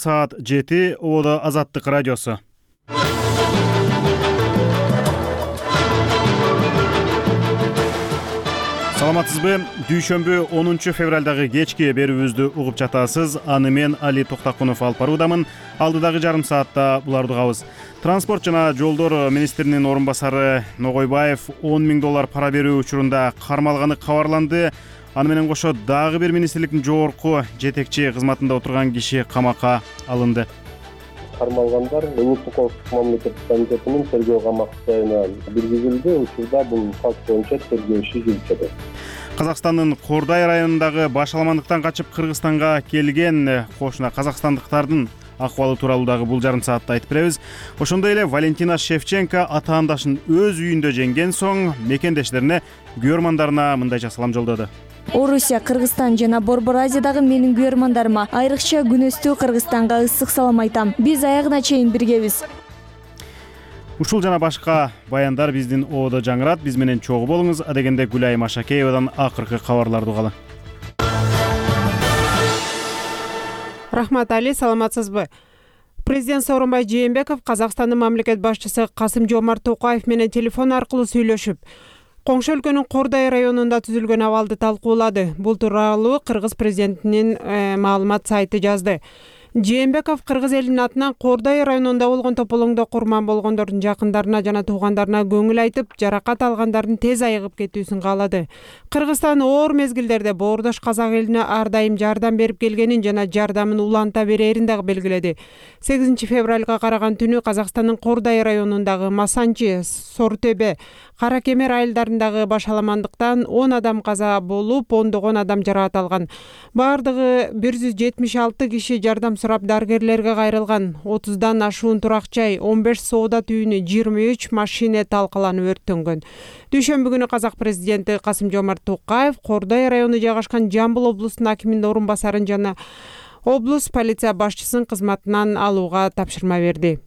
Саат 7 Оодо Азаттык радиосу. Саламатсызбы? Дүйшөмбү 10 февралдагы кечки берүүбүздү угуп жатасыз. Аны мен Али Токтакунов алып баруудамын. Алдыдагы жарым саатта буларды угабыз. Транспорт жана жолдор министринин орун басары Ногойбаев $10,000 пара берүү учурунда кармалганы кабарланды. Аны менен кошо дагы бир министрликтин жогорку жетекчи кызматында отурган киши камакка алынды. Кармалгандар Улуттук коопсуздук мамлекеттик комитетинин тергөө камактарына киргизилди. Учурда бул факт боюнча тергөө иши жүрүп жатат. Казакстандын Кордай районундагы башаламандыктан качып Кыргызстанга келген кошуна казакстандыктардын акыбалы тууралуу дагы бул жарым саатта айтып беребиз. Ошондой эле Валентина Шевченко атаандашын өз үйүндө жеңген соң мекендештерине, күйөрмандарына мындайча салам жолдоду. Орусия, Кыргызстан жана Борбор Азиядагы менин күйөрмандарыма айрыкча күнөстүү Кыргызстанга ысык салам айтам. Биз аягына чейин биргебиз. Ушул жана башка баяндар биздин Оодо жаңырат. Биз менен чогуу болуңуз. Адегенде Гүлай Машакеевадан акыркы кабарларды угалы. Рахмат Али, саламатсызбы? Президент Сооронбай Жээнбеков Казакстандын мамлекет башчысы Касым-Жомарт Токаев менен телефон аркылуу сүйлөшүп, коңшу өлкөнүн Кордай районунда түзүлгөн абалды талкуулады. Бул тууралуу Кыргыз президентинин маалымат сайты жазды. Жээнбеков Кыргыз элинин атынан Кордай районунда болгон тополоңдо курман болгондордун жакындарына жана туугандарына көңүл айтып, жаракат алгандардын тез айыгып кетүүсүн каалады. Кыргызстан оор мезгилдерде боордош казак элине ар дайым жардам берип келгенин жана жардамын уланта берерин дагы белгиледи. 8 февралга караган түнү Казакстандын Кордай районундагы Масанчи, Сортөбө, Кара Кемер айылдарындагы башаламандыктан 10 адам каза болуп, ондогон адам жаракат алган. Бардыгы 176 киши жардам сурап дарыгерлерге кайрылган. 30дан ашуун турак-жай, 15 соода түйүнү, 23 машина талкаланып өрттөнгөн. Дүйшөмбү күнү Казак президенти Касым-Жомарт Токаев Кордай району жайгашкан Жамбыл облусунун акиминин орун басарын жана облус полиция башчысын кызматынан алууга тапшырма берди.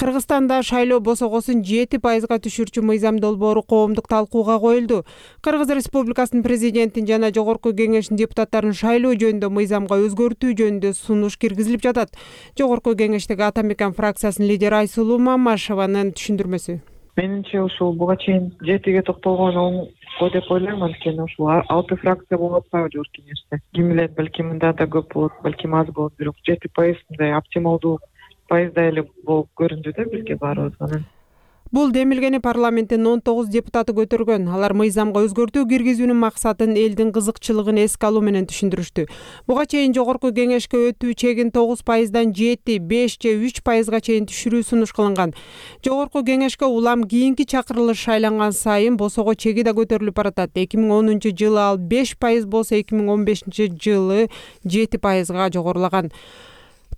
Кыргызстанда шайлоо босогосун 7%га түшүрчү мыйзам долбоору коомдук талкууга коюлду. Кыргыз Республикасынын президентин жана жогорку кеңештин депутаттарын шайлоо жөнүндө мыйзамга өзгөртүү жөнүндө сунуш киргизилип жатат. Жогорку кеңештеги Ата Мекен фракциясынын лидери Айсулуу Мамашеванын түшүндүрмөсү. Менимче ушул буга чейин 7-ге токтолгон оңго деп ойлойм, анткени ушул 6 фракция болуп атпайбы жогорку кеңеште. Ким билет, балким мында да көп болот, балким аз болот, бирок 7% мындай оптималдуу пайызда эле болуп көрүндү да бизге баарыбызга. Бул демилгени парламенттин 19 депутаты көтөргөн. Алар мыйзамга өзгөртүү киргизүүнүн максатын элдин кызыкчылыгын эске алуу менен түшүндүрүштү. Буга чейин жогорку кеңешке өтүү чегин 9%дан 7, 5 же 3%га чейин түшүрүү сунуш кылынган. Жогорку кеңешке улам кийинки чакырылыш шайланган сайын босого чеги да көтөрүлүп баратат. 2010 жылы ал 5% болсо, 2015 жылы 7%га жогорулаган.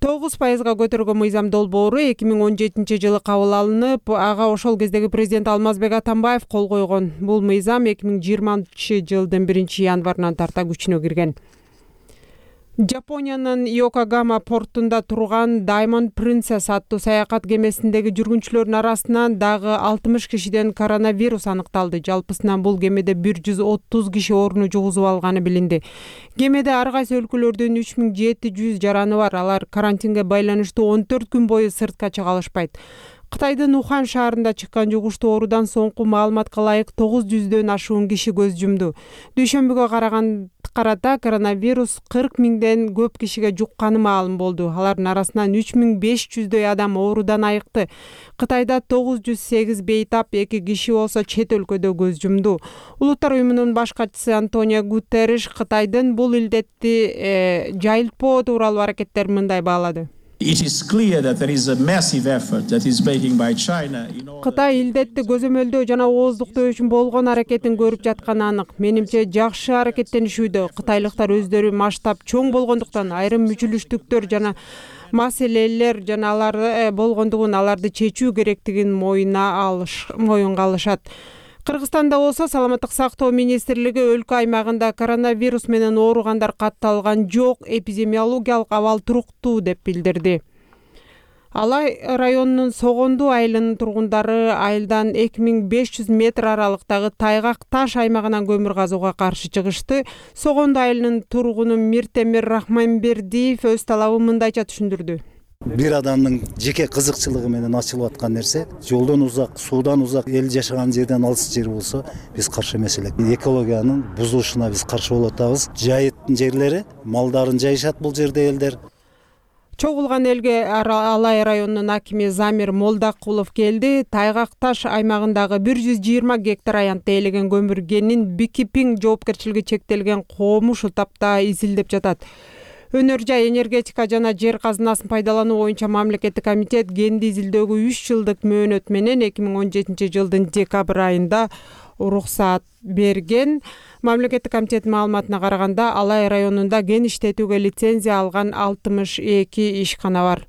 9%га көтөргөн мыйзам долбоору 2017 жылы кабыл алынып, ага ошол кездеги президент Алмазбек Атамбаев кол койгон. Бул мыйзам 2020 жылдын 1-январынан тарта күчүнө кирген. Жапониянын Йокогама портунда турган Diamond Princess аттуу саякат кемесиндеги жүргүнчүлөрдүн арасынан дагы 60 кишиден коронавирус аныкталды. Жалпысынан бул кемеде 130 киши ооруну жугузуп алганы билинди. Кемеде ар кайсы өлкөлөрдөн 3700 жараны бар. Алар карантинге байланыштуу 14 күн бою сыртка чыга алышпайт. Кытайдын Ухан шаарында чыккан жугуштуу оорудан соңку маалыматка ылайык 900дөн ашуун киши көз жумду. Дүйшөмбүгө карата коронавирус 40 000ден көп кишиге жукканы маалым болду. Алардын арасынан 3500дөй адам оорудан айыкты. Кытайда 908 бейтап, 2 киши болсо чет өлкөдө көз жумду. Улуттар уюмунун баш катчысы Антонио Гутерриш Кытайдын бул илдетти жайылтпоо тууралуу аракеттерин мындай баалады. Кытай илдетти көзөмөлдөө жана ооздуктоо үчүн болгон аракетин көрүп жатканы анык. Менимче жакшы аракеттенишүүдө. Кытайлыктар өздөрү масштаб чоң болгондуктан айрым мүчүлүштүктөр жана маселелер жана алар болгондугун аларды чечүү керектигин моюнга алышат. Кыргызстанда болсо саламаттык сактоо министрлиги өлкө аймагында коронавирус менен ооругандар катталган жок, эпидемиологиялык абал туруктуу деп билдирди. Алай районунун Согонду айылынын тургундары айылдан 2500 метр аралыктагы Тайгак таш аймагынан көмүр казууга каршы чыгышты. Согонду айылынын тургуну Миртемир Рахманбердиев өз талабын мындайча түшүндүрдү. Бир адамдын жеке кызыкчылыгы менен ачылып аткан нерсе, жолдон узак, суудан узак, эл жашаган жерден алыс жер болсо, биз каршы эмес элек. Экологиянын бузулушуна биз каршы болуп атабыз. Жайыттын жерлери, малдарын жайышат бул жерде элдер. Чогулган элге Алай районунун акими Замир Молдакулов келди. Тайгак таш аймагындагы 120 гектар аянтта ээлеген көмүргенин Бикипиң жоопкерчилиги чектелген комуш утапта изилдеп жатат. Өнөр жай энергетика жана жер казынасын пайдалануу боюнча мамлекеттик комитет кенди изилдөөгө 3 жылдык мөөнөт менен 2017 жылдын декабрь айында уруксаат берген. Мамлекеттик комитеттин маалыматына караганда Алай районунда кен иштетүүгө лицензия алган 62 ишкана бар.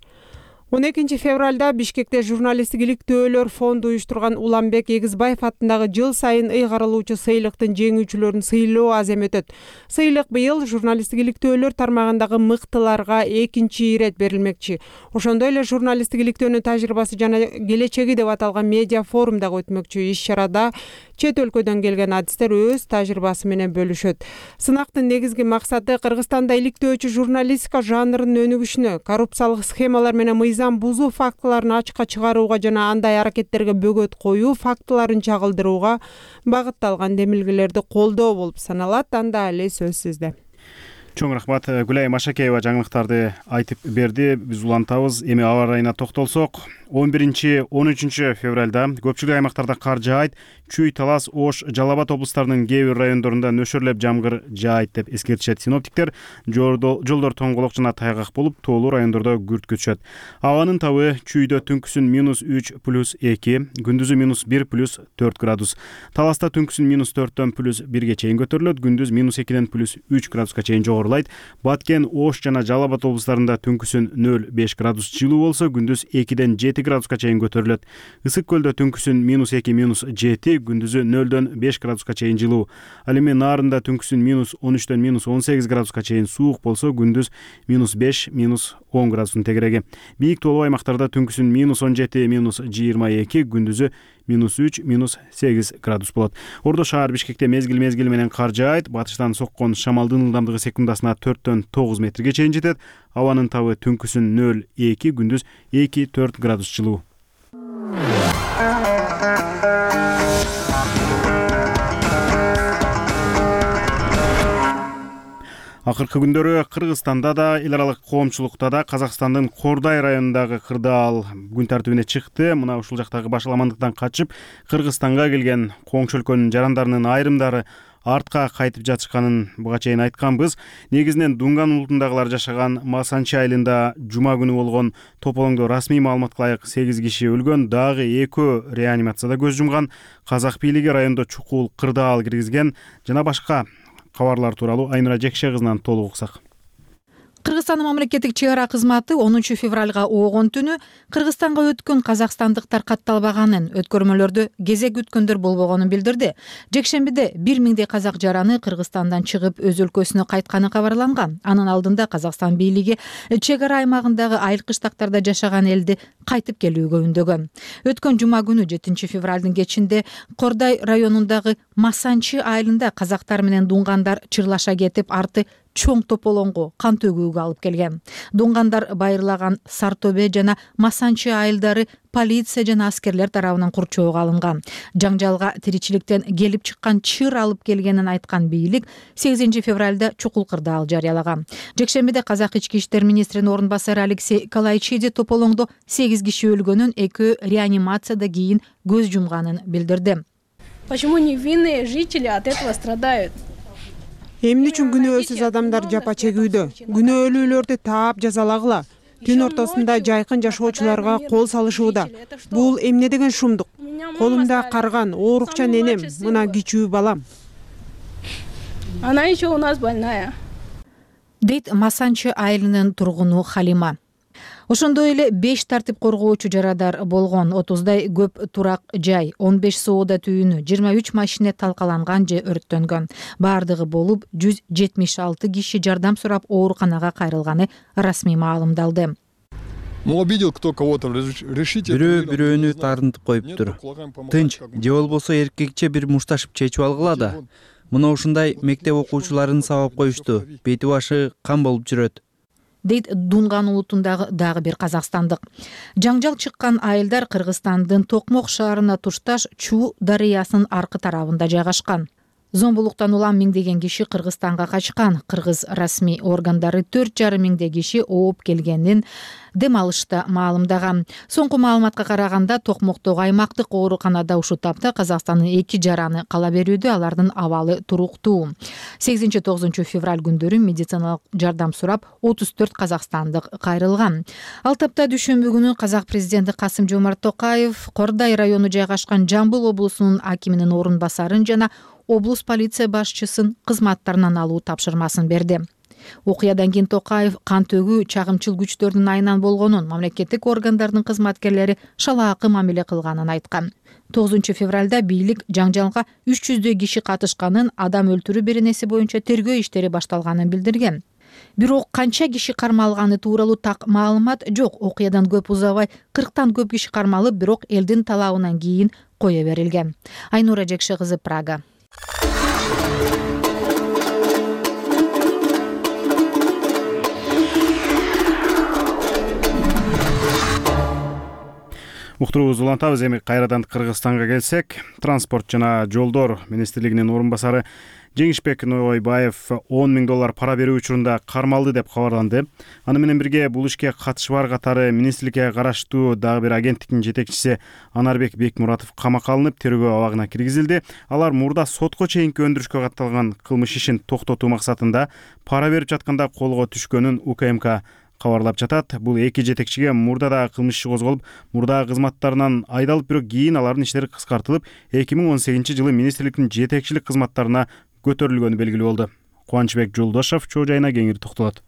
12 февралда Бишкекте журналисттик иликтөөлөр фонду уюштурган Уланбек Эгизбаев аттындагы жыл сайын ыйгарылуучу сыйлыктын жеңүүчүлөрүн сыйлоо азем өтөт. Сыйлык быйыл журналисттик иликтөөлөр тармагындагы мыктыларга 2 ирет берилмекчи. Ошондой эле журналисттик иликтөөнүн тажрыйбасы жана келечеги деп аталган медиа форум дагы өтмөкчү. Иш-чарада чет өлкөдөн келген адистер өз тажрыйбасы менен бөлүшөт. Сынактын негизги максаты Кыргызстанда иликтөөчү журналистика жанрынын өнүгүшүнө, коррупциялык схемалар менен мыйзам бузуу фактыларын ачыкка чыгарууга жана андай аракеттерге бөгөт коюу фактыларын чагылдырууга багытталган демилгелерди колдоо болуп саналат. Анда эле сөз сизде. Чоң рахмат. Гүлай Машакеева жаңылыктарды айтып берди. Биз улантабыз. Эми аба ырайына токтолсок, 11-13 февралда көпчүлүк аймактарда кар жаайт. Чүй, Талас, Ош, Жалал Абад облустарынын кээ бир райондорунда нөшөрлөп жамгыр жаайт деп эскертишет синоптиктер. Жолдор тоңголок жана тайгак болуп, тоолуу райондордо күрт күтүшөт. Абанын табы Чүйдө түнкүсүн -3 + 2, күндүзү -1 + 4 градус. Таласта түнкүсүн -4 + 1 чейин көтөрүлөт, күндүз -2 + 3 градуска чейин жогорулайт. Баткен, Ош жана Жалал Абад облустарында түнкүсүн 0-5 градус жылуу болсо, күндүз 2-7 градуска чейин көтөрүлөт. Ысык көлдө түнкүсүн -2 - 7, күндүзү 0-5 градуска чейин жылуу. Ал эми Наарында түнкүсүн -13 - 18 градуска чейин суук болсо, күндүз -5 - 10 градустун тегереги. Бийик тоолуу аймактарда түнкүсүн -17 - 22, күндүзү -3 - 8 градус болот. Ордо шаар Бишкекте мезгил менен кар жаайт. Батыштан соккон шамалдын ылдамдыгы секундасына 4-9 метрге чейин жетет. Абанын табы түнкүсүн 0-2, күндүз 2-4 градус жылуу. Акыркы күндөрү Кыргызстанда да, эл аралык коомчулукта да Казакстандын Кордай районундагы кырдаал күн тартибине чыкты. Мына ушул жактагы башаламандыктан качып Кыргызстанга келген коңшу өлкөнүн жарандарынын айрымдары артка кайтып жатышканын буга чейин айтканбыз. Негизинен Дунган улутундагылар жашаган Масанчы айылында жума күнү болгон тополоңдо расмий маалыматка ылайык 8 киши өлгөн, дагы 2 реанимацияда көз жумган. Казак бийлиги райондо чукул кырдаал киргизген жана башка кабарлар тууралуу Айнура Жекше кызынан толук уксак. Кыргызстандын мамлекеттик чек ара кызматы 10 февралга оогон түнү Кыргызстанга өткөн казакстандыктар катталбаганын, өткөрмөлөрдө кезек күткөндөр болбогонун билдирди. Жекшембиде 1000дей казак жараны Кыргызстандан чыгып өз өлкөсүнө кайтканы кабарланган. Анын алдында Казакстан бийлиги чек ара аймагындагы айыл кыштактарда жашаган элди кайтып келүүгө үндөгөн. Өткөн жума күнү 7 февралдын кечинде Кордай районундагы Масанчы айылында казактар менен дунгандар чырлаша кетип, арты чоң тополоңго кан төгүүгө алып келген. Дунгандар байырлаган Сартобе жана Масанчы айылдары полиция жана аскерлер тарабынан курчоого алынган. Жаңжалга тиричиликтен келип чыккан чыр алып келгенин айткан бийлик 8 февралда чукул кырдаал жарыялаган. Жекшембиде Казак ички иштер министринин орун басары Алексей Калайчиди тополоңдо 8 киши өлгөнүн, 2 реанимацияда кийин көз жумганын билдирди. Почему невинные жители от этого страдают? Эмне үчүн күнөөсүз адамдар жапа чегүүдө? Күнөөлүүлөрдү таап жазалагыла. Түн ортосунда жайкын жашоочуларга кол салышууда. Бул эмне деген шумдук? Колумда карган, оорукчан энем, мына кичүү балам. Она еще у нас больная. Дейт Масанчы айылынын тургуну Халима. Ошондой эле 5 тартип коргоочу жарадар болгон, 30дай көп турак жай, 15 соода түйүнү, 23 машина талкаланган же өрттөнгөн. Бардыгы болуп 176 киши жардам сурап ооруканага кайрылганы расмий маалымдалды. Но обидел кто кого-то, решите. Бирөө бирөөнү таарынтып коюптур. Тынч же болбосо эркекче бир мушташып чечип алгыла да. Мына ушундай мектеп окуучуларын сабап коюшту. Бети башы кан болуп жүрөт, дейт Дунган улутундагы дагы бир казакстандык. Жаңжал чыккан айылдар Кыргызстандын Токмок шаарына тушташ Чуу дарыясынын аркы тарабында жайгашкан. Зомбулуктан улам миңдеген киши Кыргызстанга качкан. Кыргыз расмий органдары 4,5 миңдей киши ооп келгенин дем алышта маалымдаган. Соңку маалыматка караганда Токмоктогу аймактык ооруканада ушул тапта Казакстандын 2 жараны кала берүүдө, алардын абалы туруктуу. 8-9 февраль күндөрү медициналык жардам сурап 34 казакстандык кайрылган. Ал тапта дүйшөмбү күнү Казак президенти Касым-Жомарт Токаев Кордай району жайгашкан Жамбыл облусунун акиминин орун басарын жана облус полиция башчысын кызматтарынан алуу тапшырмасын берди. Окуядан кийин Токаев кан төгүү чагымчыл күчтөрдүн айынан болгонун, мамлекеттик органдардын кызматкерлери шалаакы мамиле кылганын айткан. 9 февралда бийлик жаңжалга 300 киши катышканын, адам өлтүрүү беренеси боюнча тергөө иштери башталганын билдирген. Бирок канча киши кармалганы тууралуу так маалымат жок. Окуядан көп узабай 40тан көп киши кармалып, бирок элдин талабынан кийин кое берилген. Айнура Жекше кызы, Прага. Уктуруубузду улантабыз. Эми кайрадан Кыргызстанга келсек, транспорт жана жолдор министрлигинин орун басары Жеңишбек Нойбаев $10,000 пара берүү учурунда кармалды деп кабарланды. Аны менен бирге бул ишке катышы бар катары министрликке караштуу дагы бир агенттиктин жетекчиси Анарбек Бекмуратов камакка алынып, тергөө абагына киргизилди. Алар мурда сотко чейинки өндүрүшкө катталган кылмыш ишин токтотуу максатында пара берип жатканда колго түшкөнүн УКМК кабарлап жатат. Бул эки жетекчиге мурда да кылмыш иши козголуп, мурда кызматтарынан айдалып, бирок кийин алардын иштери кыскартылып, 2018-жылы министрликтин жетекчилик кызматтарына көтөрүлгөнү белгилүү болду. Кубанычбек Жолдошов чоо жайына кеңири токтолот.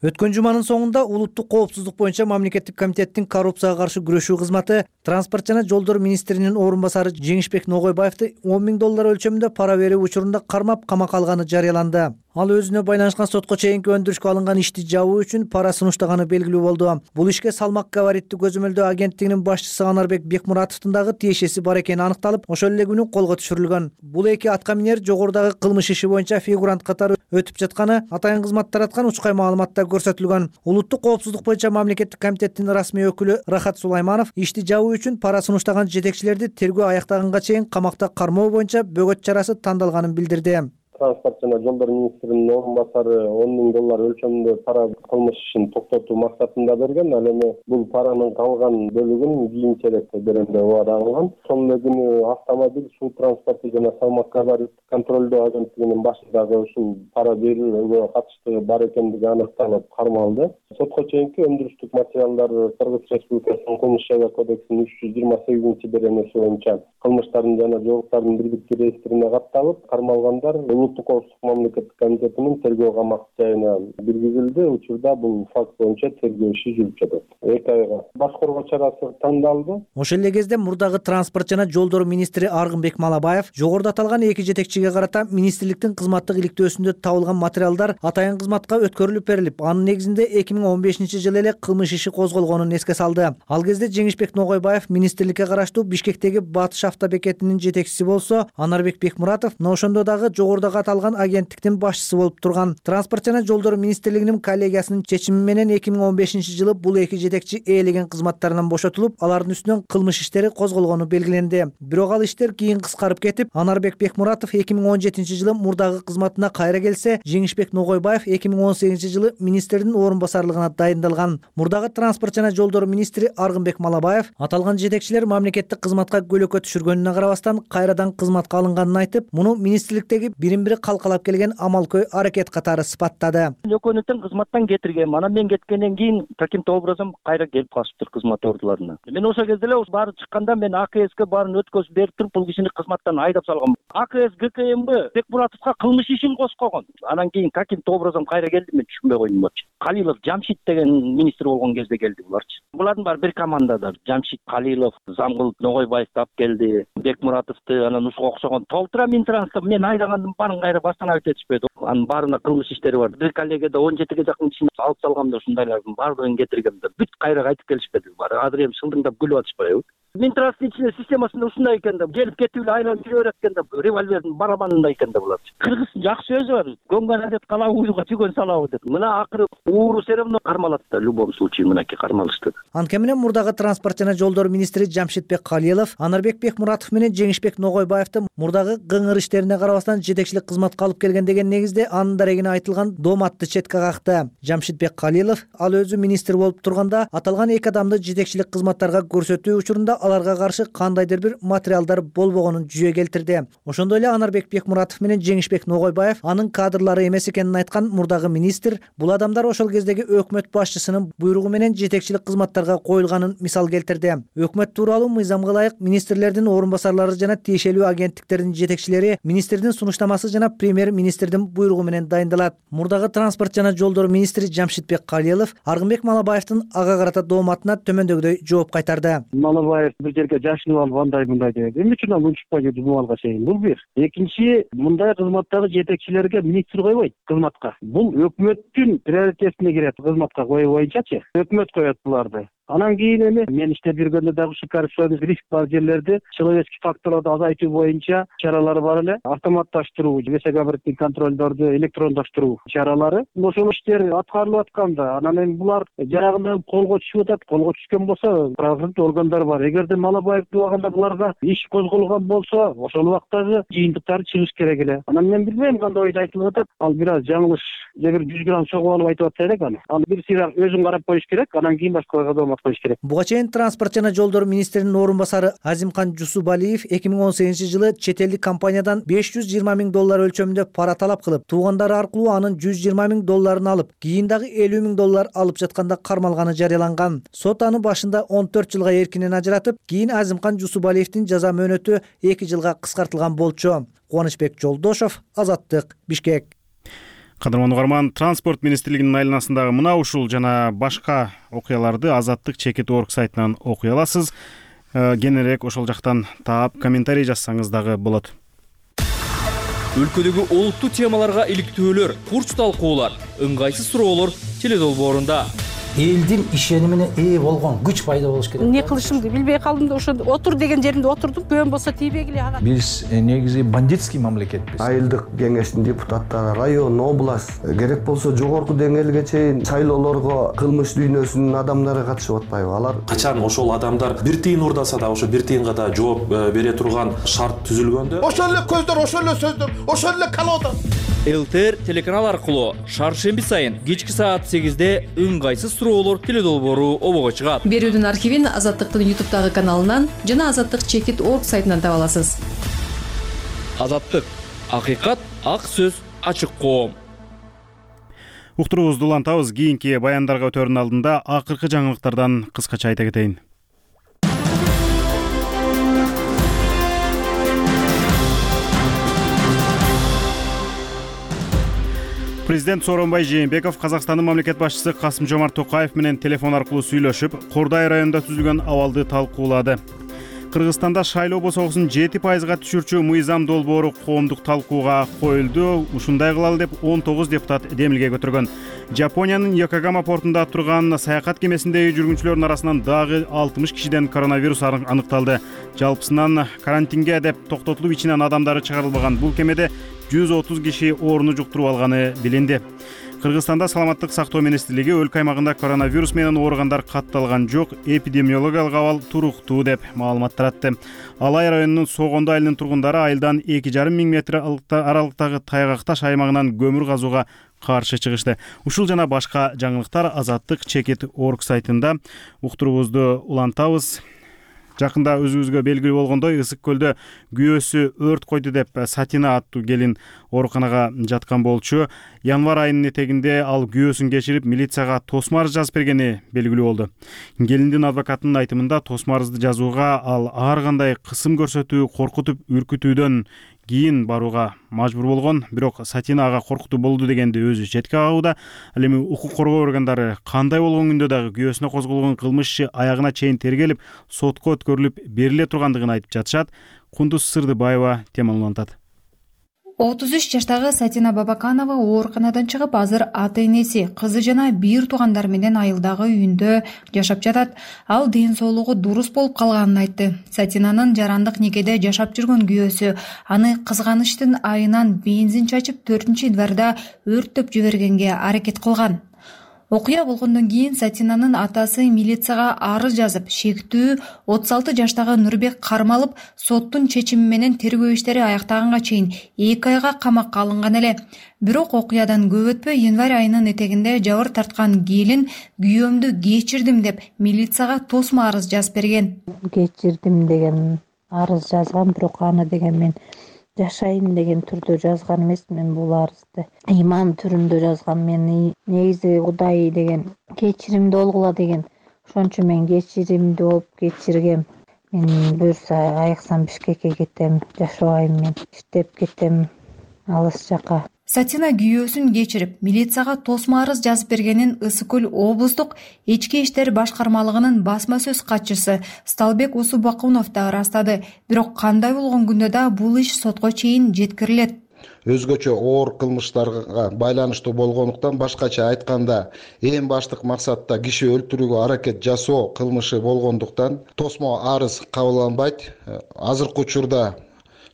Өткөн жуманын соңунда улуттук коопсуздук боюнча мамлекеттик комитеттин коррупцияга каршы күрөшүү кызматы транспорт жана жолдор министринин орун басары Жеңишбек Ногойбаевди $10,000 өлчөмүндө пара берүү учурунда кармап камакка алганы жарыяланды. Ал өзүнө байланышкан сотко чейинки өндүрүшкө алынган ишти жабуу үчүн пара сунуштаганы белгилүү болду. Бул ишке салмак габариттүү көзөмөлдөө агенттигинин башчысы Анарбек Бекмуратовдун дагы тиешеси бар экени аныкталып, ошол эле күнү колго түшүрүлгөн. Бул эки атка минер жогорудагы кылмыш иши боюнча фигурант катары өтүп жатканы атайын кызмат тараткан учкай маалыматта көрсөтүлгөн. Улуттук коопсуздук боюнча мамлекеттик комитеттин расмий өкүлү Рахат Сулайманов ишти жабуу үчүн пара сунуштаган жетекчилерди тергөө аяктаганга чейин камакта кармоо боюнча бөгөт чарасы тандалганын билдирди. Транспорт жана жолдор министринин орун басары $10,000 өлчөмүндө пара кылмыш ишин токтотуу максатында берген. Ал эми бул паранын калган бөлүгүн кийинчерээк берем деп убада кылган. Ошол эле күнү автомобиль, суу транспорту жана салмак габарит контролдоо агенттигинин башындагы ушул пара берүүгө катыштыгы бар экендиги аныкталып кармалды. Сотко чейинки өндүрүштүк материалдар Кыргыз Республикасынын кылмыш жайга кодексинин 328-беренеси боюнча кылмыштардын жана жоолуктардын бирдикти реестрине катталып, кармалгандар улуттук коопсуздук мамлекеттик комитетинин тергөө камак жайына киргизилди. Учурда бул факт боюнча тергөө иши жүрүп жатат. 2 айга баш коргоо чарасы тандалды. Ошол эле кезде мурдагы транспорт жана жолдор министри Аргынбек Малабаев жогоруда аталган эки жетекчиге карата министрликтин кызматтык иликтөөсүндө табылган материалдар атайын кызматка өткөрүлүп берилип, анын негизинде 2015-жылы эле кылмыш иши козголгонун эске салды. Ал кезде Жеңишбек Ногойбаев министрликке караштуу Бишкектеги Батыш автобекетинин жетекчиси болсо, Анарбек Бекмуратов ошондо дагы жогорудагы аталган агенттиктин башчысы болуп турган. Транспорт жана жолдор министрлигинин коллегиясынын чечими менен 2015-жылы бул эки жетекчи ээлеген кызматтарынан бошотулуп, алардын үстүнөн кылмыш иштери козголгону белгиленди. Бирок ал иштер кийин кыскарып кетип, Анарбек Бекмуратов 2017-жылы мурдагы кызматына кайра келсе, Жеңишбек Ногойбаев 2018-жылы министрдин орун басарлыгына дайындалган. Мурдагы транспорт жана жолдор министри Аргынбек Малабаев аталган жетекчилер мамлекеттик кызматка көлөкө түшүргөнүнө карабастан кайрадан кызматка алынганын айтып, муну министрликтеги бирин-бири калкалап келген амалкөй аракет катары сыпаттады. Экөөнү тең кызматтан кетиргем. Анан мен кеткенден кийин каким-то образом кайра келип калышыптыр кызмат ордуларына. Мен ошол кезде эле баары чыкканда мен АКСке баарын өткөзүп берип туруп, бул кишини кызматтан айдап салгам. АКС ГКМБ Бекмуратовго кылмыш ишин коскогон. Анан кийин каким-то образом кайра келди, мен түшүнбөй койдум болчу. Калилов Жамшит деген министр болгон кезде келди буларчы. Булардын баары бир командада. Жамшит Калилов, Замгыл Ногойбаевди алып келди, Бекмуратовду, анан ушуга окшогон толтура Минтрансты мен айдагандын баары баарын кайра баштан айтып этишпейт. Анын баарына кылмыш иштери бар. Бир коллегада 17ге жакын кишини алып салгам да ушундайлардын баардыгын кетиргем да бүт кайра айтып келишпеди. Азыр эми шылдыңдап күлүп атышпайбы? Минтранстын ичинде системасында ушундай экен да, келип кетип эле айланып жүрө берет экен да, револьвердин барабанындай экен да булар. Кыргыздын жакшы сөзү бар. Көңгөн адет кала уйдуга түйгөн салабы деп. Мына акыры ууру все равно кармалат да, в любом случае мынакей кармалышты. Анткени менен мурдагы транспорт жана жолдор министри Жамшитбек Калилов Анарбек Бекмуратов менен Жеңишбек Ногойбаевди мурдагы кыңыр иштерине карабастан жетекчилик кызматка алып келген деген негизде анын дарегине айтылган дооматты четке какты. Жамшитбек Калилов ал өзү министр болуп турганда аталган эки адамды жетекчилик кызматтарга көрсөтүү учурунда аларга каршы кандайдыр бир материалдар болбогонун жүзө келтирди. Ошондой эле Анарбек Бекмуратов менен Жеңишбек Ногойбаев анын кадрлары эмес экенин айткан мурдагы министр бул адамдар ошол кездеги өкмөт башчысынын буйругу менен жетекчилик кызматтарга коюлганын мисал келтирди. Өкмөт тууралуу мыйзамга ылайык министрлердин орун басарлары жана тиешелүү агенттиктердин жетекчилери министрдин сунуштамасы жана премьер-министрдин буйругу менен дайындалат. Мурдагы транспорт жана жолдор министри Жамшитбек Калилов Аргынбек Малабаевдин ага карата дооматына төмөндөгүдөй жооп кайтарды. Малабаев бир жерге жашынып алып андай мындай деп. Эмне үчүн ал унчукпай жүрдү бул алга чейин? Бул бир. Экинчи, мындай кызматтагы жетекчилерге министр койбойт кызматка. Бул өкмөттүн приоритетине кирет кызматка коюу боюнчачы. Өкмөт коет буларды. Анан кийин эми мен иштеп жүргөндө дагы ушу коррупционный риск бар жерлерди человеческий факторлорду азайтуу боюнча чаралар бар эле. Автоматташтыруу, весогабариттик контролдорду электрондоштуруу чаралары. Ошол иштер аткарылып атканда, анан эми булар жарагында колго түшүп атат. Колго түшкөн болсо, правоохранительный органдар бар. Эгерде Малабаев убагында буларга иш козголгон болсо, ошол убактагы жыйынтыктары чыгыш керек эле. Анан мен билбейм кандай ойду айтылып атат. Ал бир аз жаңылыш, же бир 100 грамм чогуу алып айтып атса элек аны. Ал бир сыйра өзүн карап коюш керек, анан кийин башкаларга доомат коюш керек. Буга чейин транспорт жана жолдор министринин орун басары Азимкан Жусубалиев 2018-жылы чет элдик компаниядан $520 000 өлчөмүндө пара талап кылып, туугандары аркылуу анын $120 000 алып, кийин дагы $50 000 алып жатканда кармалганы жарыяланган. Сот аны башында 14 жылга эркинен ажыратып, кийин Азимкан Жусубалиевдин жаза мөөнөтү 2 жылга кыскартылган болчу. Кубанычбек Жолдошов, Азаттык, Бишкек. Кадырман угарман, транспорт министрлигинин айланасындагы мына ушул жана башка окуяларды Азаттык чекит орг сайтынан окуй аласыз. Кененирээк ошол жактан таап комментарий жазсаңыз дагы болот. Өлкөдөгү олуттуу темаларга иликтөөлөр, курч талкуулар, ыңгайсыз суроолор теледолбоорунда. Элдин ишенимине ээ болгон күч пайда болуш керек. Не кылышымды билбей калдым да ошо отур деген жеримде отурдум. Көөн болсо тийбегиле ага. Биз негизи бандитский мамлекетпиз. Айылдык кеңештин депутаттары, район, область, керек болсо жогорку деңгээлге чейин шайлоолорго кылмыш дүйнөсүнүн адамдары катышып атпайбы? Алар качан ошол адамдар бир тыйын урдаса да ошо бир тыйынга да жооп бере турган шарт түзүлгөндө, ошол эле көздөр, ошол эле сөздөр, ошол эле колода. ЛТР телеканал аркылуу шаршемби сайын кечки саат 8-де ыңгайсыз суроолор теледолбоору обого чыгат. Берүүдүн архивин Азаттыктын YouTube'дагы каналынан жана Азаттык чекит орг сайтынан таба аласыз. Азаттык, акыйкат, ак сөз, ачык коом. Уктуруубузду улантабыз. Кийинки баяндарга өтөрүнүн алдында акыркы жаңылыктардан кыскача айта кетейин. Президент Сооронбай Жээнбеков Казакстандын мамлекет башчысы Касым-Жомарт Токаев менен телефон аркылуу сүйлөшүп, Кордай районунда түзүлгөн абалды талкуулады. Кыргызстанда шайлоо босогусун 7%га түшүрчү мыйзам долбоору коомдук талкууга коюлду. Ушундай кылалы деп 19 депутат демилге көтөргөн. Жапониянын Йокогама портунда турган саякат кемесиндеги жүргүнчүлөрдүн арасынан дагы 60 кишиден коронавирус аныкталды. Жалпысынан карантинге деп токтотулуп ичинен адамдары чыгарылбаган бул кемеде 130 киши ооруну жуктуруп алганы билинди. Кыргызстанда саламаттык сактоо министрлиги өлкө аймагында коронавирус менен ооругандар катталган жок, эпидемиологиялык абал туруктуу деп маалымат таратты. Алай районунун Согондо айылынын тургундары айылдан 2,5 миң метр аралыктагы Тайгакташ аймагынан көмүр казууга каршы чыгышты. Ушул жана башка жаңылыктар Азаттык чекит орг сайтында. Уктуруубузду улантабыз. Жакында өзүбүзгө белгилүү болгондой, Ысык көлдө күйөөсү өрт койду деп Сатина аттуу келин ооруканага жаткан болчу. Январь айынын этегинде ал күйөөсүн кечирип, милицияга тосмо арыз жазып бергени белгилүү болду. Келиндин адвокатынын айтымында тосмо арызды жазууга ал ар кандай кысым көрсөтүү, коркутуп, үркүтүүдөн кийин барууга мажбур болгон, бирок Сатина ага коркутуу болду дегенди өзү четке кагууда. Ал эми укук коргоо органдары кандай болгон күндө дагы күйөөсүнө козголгон кылмыш иши аягына чейин тергелип, сотко өткөрүлүп бериле тургандыгын айтып жатышат. Кундуз Сырдыбаева теманы улантат. 33 жаштагы Сатина Бабаканова ооруканадан чыгып, азыр ата-энеси, кызы жана бир туугандар менен айылдагы үйүндө жашап жатат. Ал ден соолугу дурус болуп калганын айтты. Сатинанын жарандык некеде жашап жүргөн күйөөсү аны кызганычтын айынан бензин чачып 4-январда өрттөп жибергенге аракет кылган. Окуя болгондон кийин Сатинанын атасы милицияга арыз жазып, шектүү 36 жаштагы Нурбек кармалып, соттун чечими менен тергөө иштери аяктаганга чейин 2 айга камакка алынган эле. Бирок окуядан көп өтпөй январь айынын этегинде жабыр тарткан келин күйөөмдү кечирдим деп милицияга тосмо арыз жазып берген. Кечирдим деген арыз жазган, бирок аны деген мен жашайын деген түрдө жазган эмесмин. Бул арызды иман түрүндө жазган. Мен негизи Кудай деген кечиримди болгула деген. Ошончо мен кечиримди болуп кечиргем. Мен буюрса айыксам Бишкекке кетем, жашабайм, мен иштеп кетем алыс жака. Сатина күйөөсүн кечирип, милицияга тосмо арыз жазып бергенин Ысык Көл облустук ички иштер башкармалыгынын басма сөз катчысы Сталбек Усубакунов да ырастады. Бирок кандай болгон күндө да бул иш сотко чейин жеткирилет. Өзгөчө оор кылмыштарга байланыштуу болгондуктан, башкача айтканда, эң баштык максатта киши өлтүрүүгө аракет жасоо кылмышы болгондуктан тосмо арыз кабылданбайт. Азыркы учурда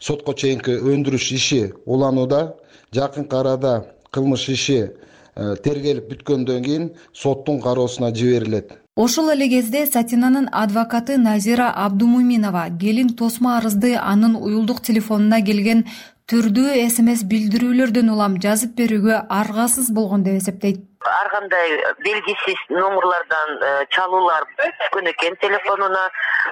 сотко чейинки өндүрүш иши уланууда. Жакынкы арада кылмыш иши тергелип бүткөндөн кийин соттун кароосуна жиберилет. Ошол эле кезде Сатинанын адвокаты Назира Абдумуминова келин тосмо арызды анын уюлдук телефонуна келген түрдүү СМС билдирүүлөрдөн улам жазып берүүгө аргасыз болгон деп эсептейт. Ар кандай белгисиз номерлардан чалуулар түшкөн экен телефонуна.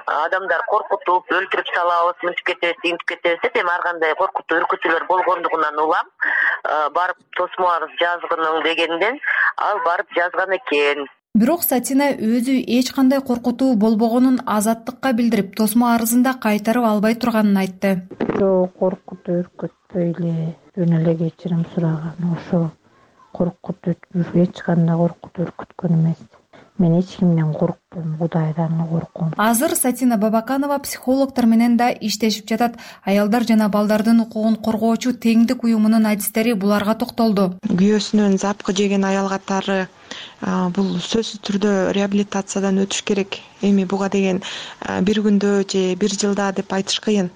Адамдар коркутуп, өлтүрүп салабыз, мынтип кетебиз, тинтип кетебиз деп, эми ар кандай коркутуу, үркүтүүлөр болгондугунан улам барып тосмо арыз жазгының дегенден ал барып жазган экен. Бирок Сатина өзү эч кандай коркутуу болбогонун Азаттыкка билдирип, тосмо арызында кайтарып албай турганын айтты. Жок, коркутуу, үркүтпөй эле, жөн эле кечирим сураган. Ошо коркутуу, эч кандай коркутуу, үркүткөн эмес. Мен эч кимден коркпойм, Кудайдан корком. Азыр Сатина Бабаканова психологдор менен да иштешип жатат. Аялдар жана балдардын укугун коргоочу Теңдик уюмунун адистери буларга токтолду. Күйөөсүнөн запкы жеген аял катары бул сөзсүз түрдө реабилитациядан өтүш керек. Эми буга деген бир күндө же бир жылда деп айтыш кыйын.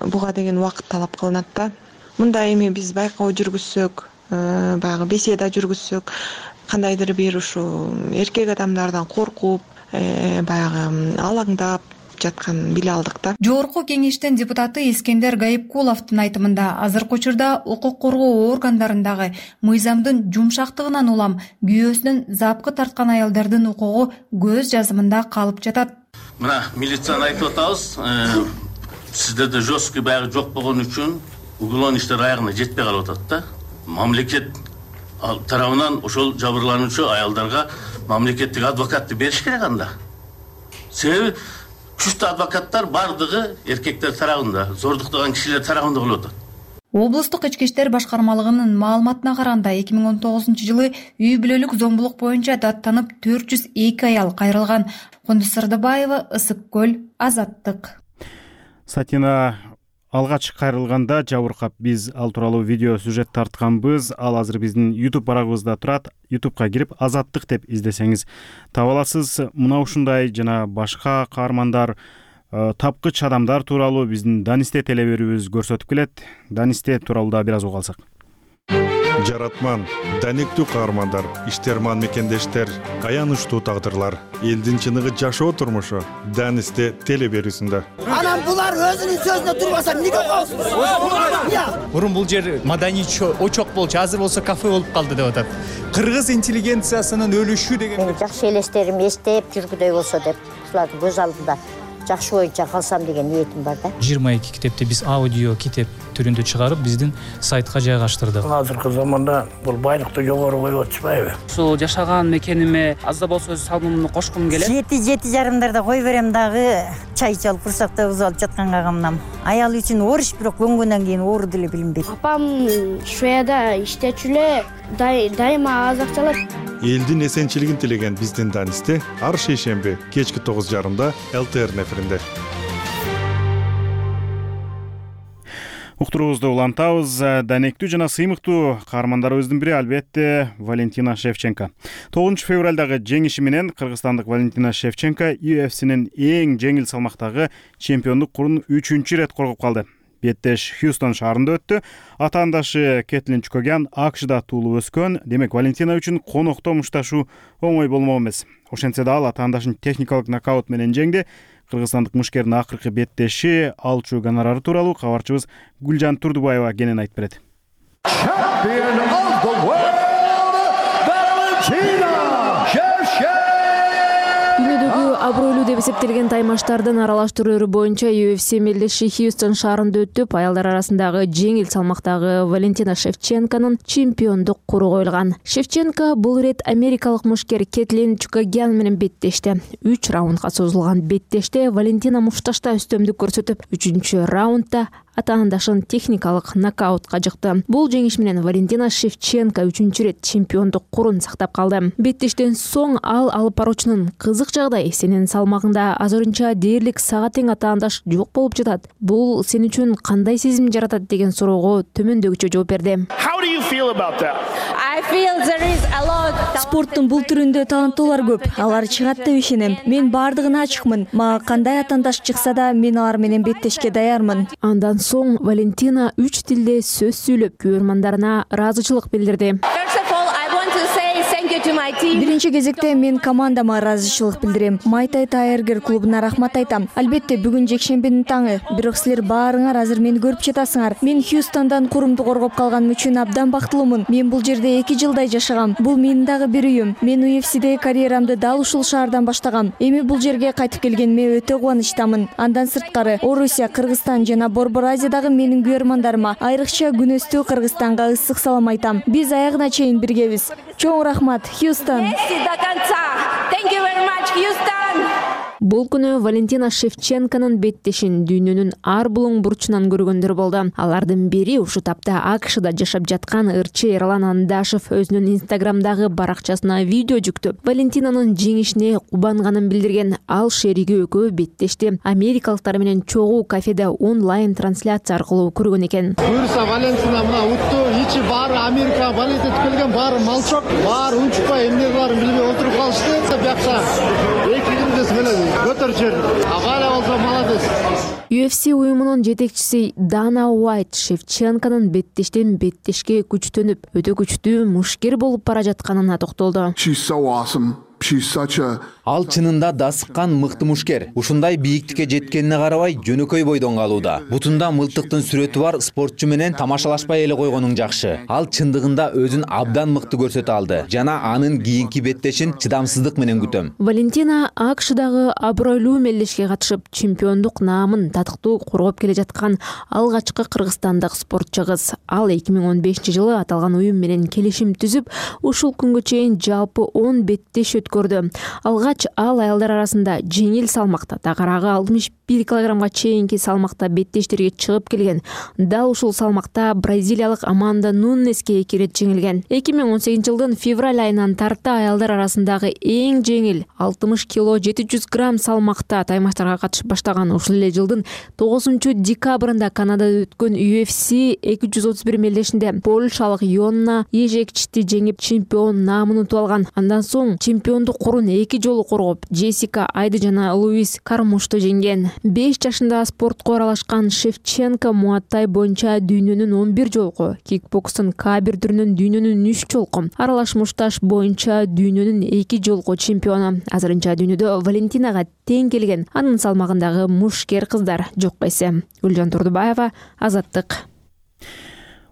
Буга деген убакыт талап кылынат да. Мында эми биз байкоо жүргүзсөк, баягы беседа жүргүзсөк, кандайдыр бир ушу эркек адамдардан коркуп, баягы алаңдап жатканын биле алдык да. Жогорку кеңештин депутаты Искендер Гайыпкуловдун айтымында азыркы учурда укук коргоо органдарындагы мыйзамдын жумшактыгынан улам күйөөсүнөн запкы тарткан аялдардын укугу көз жазымында калып жатат. Мына милицияны айтып атабыз, сиздерде жесткий баягы жок болгон үчүн уголовный иштер аягына жетпей калып атат да. Мамлекет тарабынан ошол жабырлануучу аялдарга мамлекеттик адвокатты бериш керек анда. Себеби күчтүү адвокаттар бардыгы эркектер тарабында, зордуктаган кишилер тарабында болуп атат. Облустук ички иштер башкармалыгынын маалыматына караганда 2019-жылы үй бүлөлүк зомбулук боюнча даттанып 402 аял кайрылган. Кундуз Сырдыбаева, Ысык Көл, Азаттык. Сатина алгач кайрылганда жабыркап, биз ал тууралуу видео сюжет тартканбыз. Ал азыр биздин YouTube барагыбызда турат. YouTube'га кирип Азаттык деп издесеңиз таба аласыз. Мына ушундай жана башка каармандар, тапкыч адамдар тууралуу биздин Данисте телеберүүбүз көрсөтүп келет. Данисте тууралуу да бир аз угуп алсак. Жаратман, даниктүү каармандар, иштерман мекендештер, аянычтуу тагдырлар, элдин чыныгы жашоо турмушу Данисте телеберүүсүндө. Анан булар өзүнүн сөзүнө турбаса эмнеге коесуз? Мурун бул жер маданий очок болчу, азыр болсо кафе болуп калды деп атат. Кыргыз интеллигенциясынын өлүшү деген. Жакшы элестерим эстеп жүргүдөй болсо деп, ушулардын көз алдында жакшы боюнча калсам деген ниетим бар да. 22 китепти биз аудио китеп түрүндө чыгарып биздин сайтка жайгаштырдык. Азыркы заманда бул байлыкты жогору коюп атышпайбы? Ушул жашаган мекениме аз да болсо өз салымымды кошкум келет. 7-7:30 кой берем дагы чай чалып курсакта уз алып жатканга камнам. Аял үчүн ориш, бирок көнгөндөн кийин оору деле билинбейт. Апам Шведияда иштечү эле, дайыма аз акча алат. Элдин эсенчилигин тилеген биздин Данисте ар шейшемби кечки 9:30 ЛТР эфиринде. Уктуруубузду улантабыз. Данектүү жана сыймыктуу каармандарыбыздын бири албетте Валентина Шевченко. 9 февралдагы жеңиши менен кыргызстандык Валентина Шевченко UFC'нин эң жеңил салмактагы чемпиондук курун 3-рет коргоп калды. Беттеш Хьюстон шаарында өттү. Атаандашы Кетлин Чукогян АКШда туулуп өскөн. Демек Валентина үчүн конокто мушташуу оңой болмок эмес. Ошентсе да ал атаандашын техникалык нокаут менен жеңди. Кыргызстандык мушкердин акыркы беттеши алчу гонорары тууралуу кабарчыбыз Гүлжан Турдубаева кенен айтып берет. Дүйнөдөгү абройлуу деп эсептелген таймаштардын аралаштырууру боюнча UFC мелдеши Хьюстон шаарында өтүп, аялдар арасындагы жеңил салмактагы Валентина Шевченконун чемпиондук куру коюлган. Шевченко бул ирет америкалык мушкер Кетлин Чукогян менен беттешти. 3 раундга созулган беттеште Валентина мушташта үстөмдүк көрсөтүп, 3-раундда атаандашын техникалык нокаутка жыкты. Бул жеңиш менен Валентина Шевченко 3-рет чемпиондук курун сактап калды. Беттештен соң ал алып баруучунун кызык жагдай, сенин салмагыңда азырынча дээрлик сага тең атаандаш жок болуп жатат. Бул сен үчүн кандай сезим жаратат деген суроого төмөндөгүчө жооп берди. Спорттун бул түрүндө таланттуулар көп. Алар чыгат деп ишенем. Мен бардыгына ачыкмын. Мага кандай атаандаш чыкса да, мен алар менен беттешке даярмын. Андан соң Валентина 3 тилде сөз сүйлөп, көрмандарына ыраазычылык билдирди. Биринчи кезекте мен командама ыраазычылык билдирем. Майтай Тайергер клубуна рахмат айтам. Албетте бүгүн жекшембинин таңы. Бирок силер баарыңар азыр мени көрүп жатасыңар. Мен Хьюстондан курумду коргоп калганым үчүн абдан бактылуумун. Мен бул жерде 2 жылдай жашагам. Бул менин дагы бир үйүм. Мен UFC'деги карьерамды дал ушул шаардан баштагам. Эми бул жерге кайтып келгениме өтө кубанычтамын. Андан сырткары Орусия, Кыргызстан жана Борбор Азиядагы менин көрөрмандарыма, айрыкча күнөстүү Кыргызстанга ысык салам айтам. Биз аягына чейин биргебиз. Чоң рахмат, Хьюстон. Бул күнү Валентина Шевченконун беттешин дүйнөнүн ар булуң бурчунан көргөндөр болду. Алардын бири ушу тапта АКШда жашап жаткан ырчы Эрлан Андашев өзүнүн Инстаграмдагы баракчасына видео жүктөп, Валентинанын жеңишине кубанганын билдирген. Ал шериги экөө беттешти америкалыктар менен чогуу кафеде онлайн трансляция аркылуу көргөн экен. Буюрса Валентина мына утту, ичи баары Америка валюта келген, баары малчок, баары унчукпай эмне кыларын билбей отуруп калышты. Бuyaksa 2 күндө келет. UFC уюмунун жетекчиси Дана Уайт Шевченконун беттештен беттешке күчтөнүп, өтө күчтүү мушкер болуп бара жатканына токтолду. Ал чынында да сыккан мыкты мушкер. Ушундай бийиктикке жеткенине карабай жөнөкөй бойдон калууда. Бутунда мылтыктын сүрөтү бар спортчу менен тамашалашпай эле койгонуң жакшы. Ал чындыгында өзүн абдан мыкты көрсөтө алды жана анын кийинки беттешин чыдамсыздык менен күтөм. Валентина АКШдагы абройлуу мелдешке катышып, чемпиондук наамын татыктуу коргоп келе жаткан алгачкы кыргызстандык спортчу кыз. Ал 2015-жылы аталган уюм менен келишим түзүп, ушул күнгө чейин жалпы 10 беттеш өткөрдү. Алгач ал аялдар арасында жеңил салмакта, тагыраагы 61 килограммга чейинки салмакта беттештерге чыгып келген. Дал ушул салмакта бразилиялык Аманда Нунеске 2 рет жеңилген. 2018-жылдын февраль айынан тарта аялдар арасындагы эң жеңил 60 кило 700 грамм салмакта таймаштарга катышып баштаган. Ушул эле жылдын 9-декабрында Канадада өткөн UFC 231 мелдешинде польшалык Йонна Ежекчти жеңип чемпион наамын утуп алган. Андан соң чемпиондук курун 2 жолу коргоп, Джессика Айды жана Луис Кармушты жеңген. 5 жашында спортко аралашкан Шевченко муаттай боюнча дүйнөнүн 11 жолку, кикбокстун К1 түрүнүн дүйнөнүн 3 жолку, аралаш мушташ боюнча дүйнөнүн 2 жолку чемпиону. Азырынча дүйнөдө Валентинага тең келген анын салмагындагы мушкер кыздар жок эсе. Гүлжан Турдубаева, Азаттык.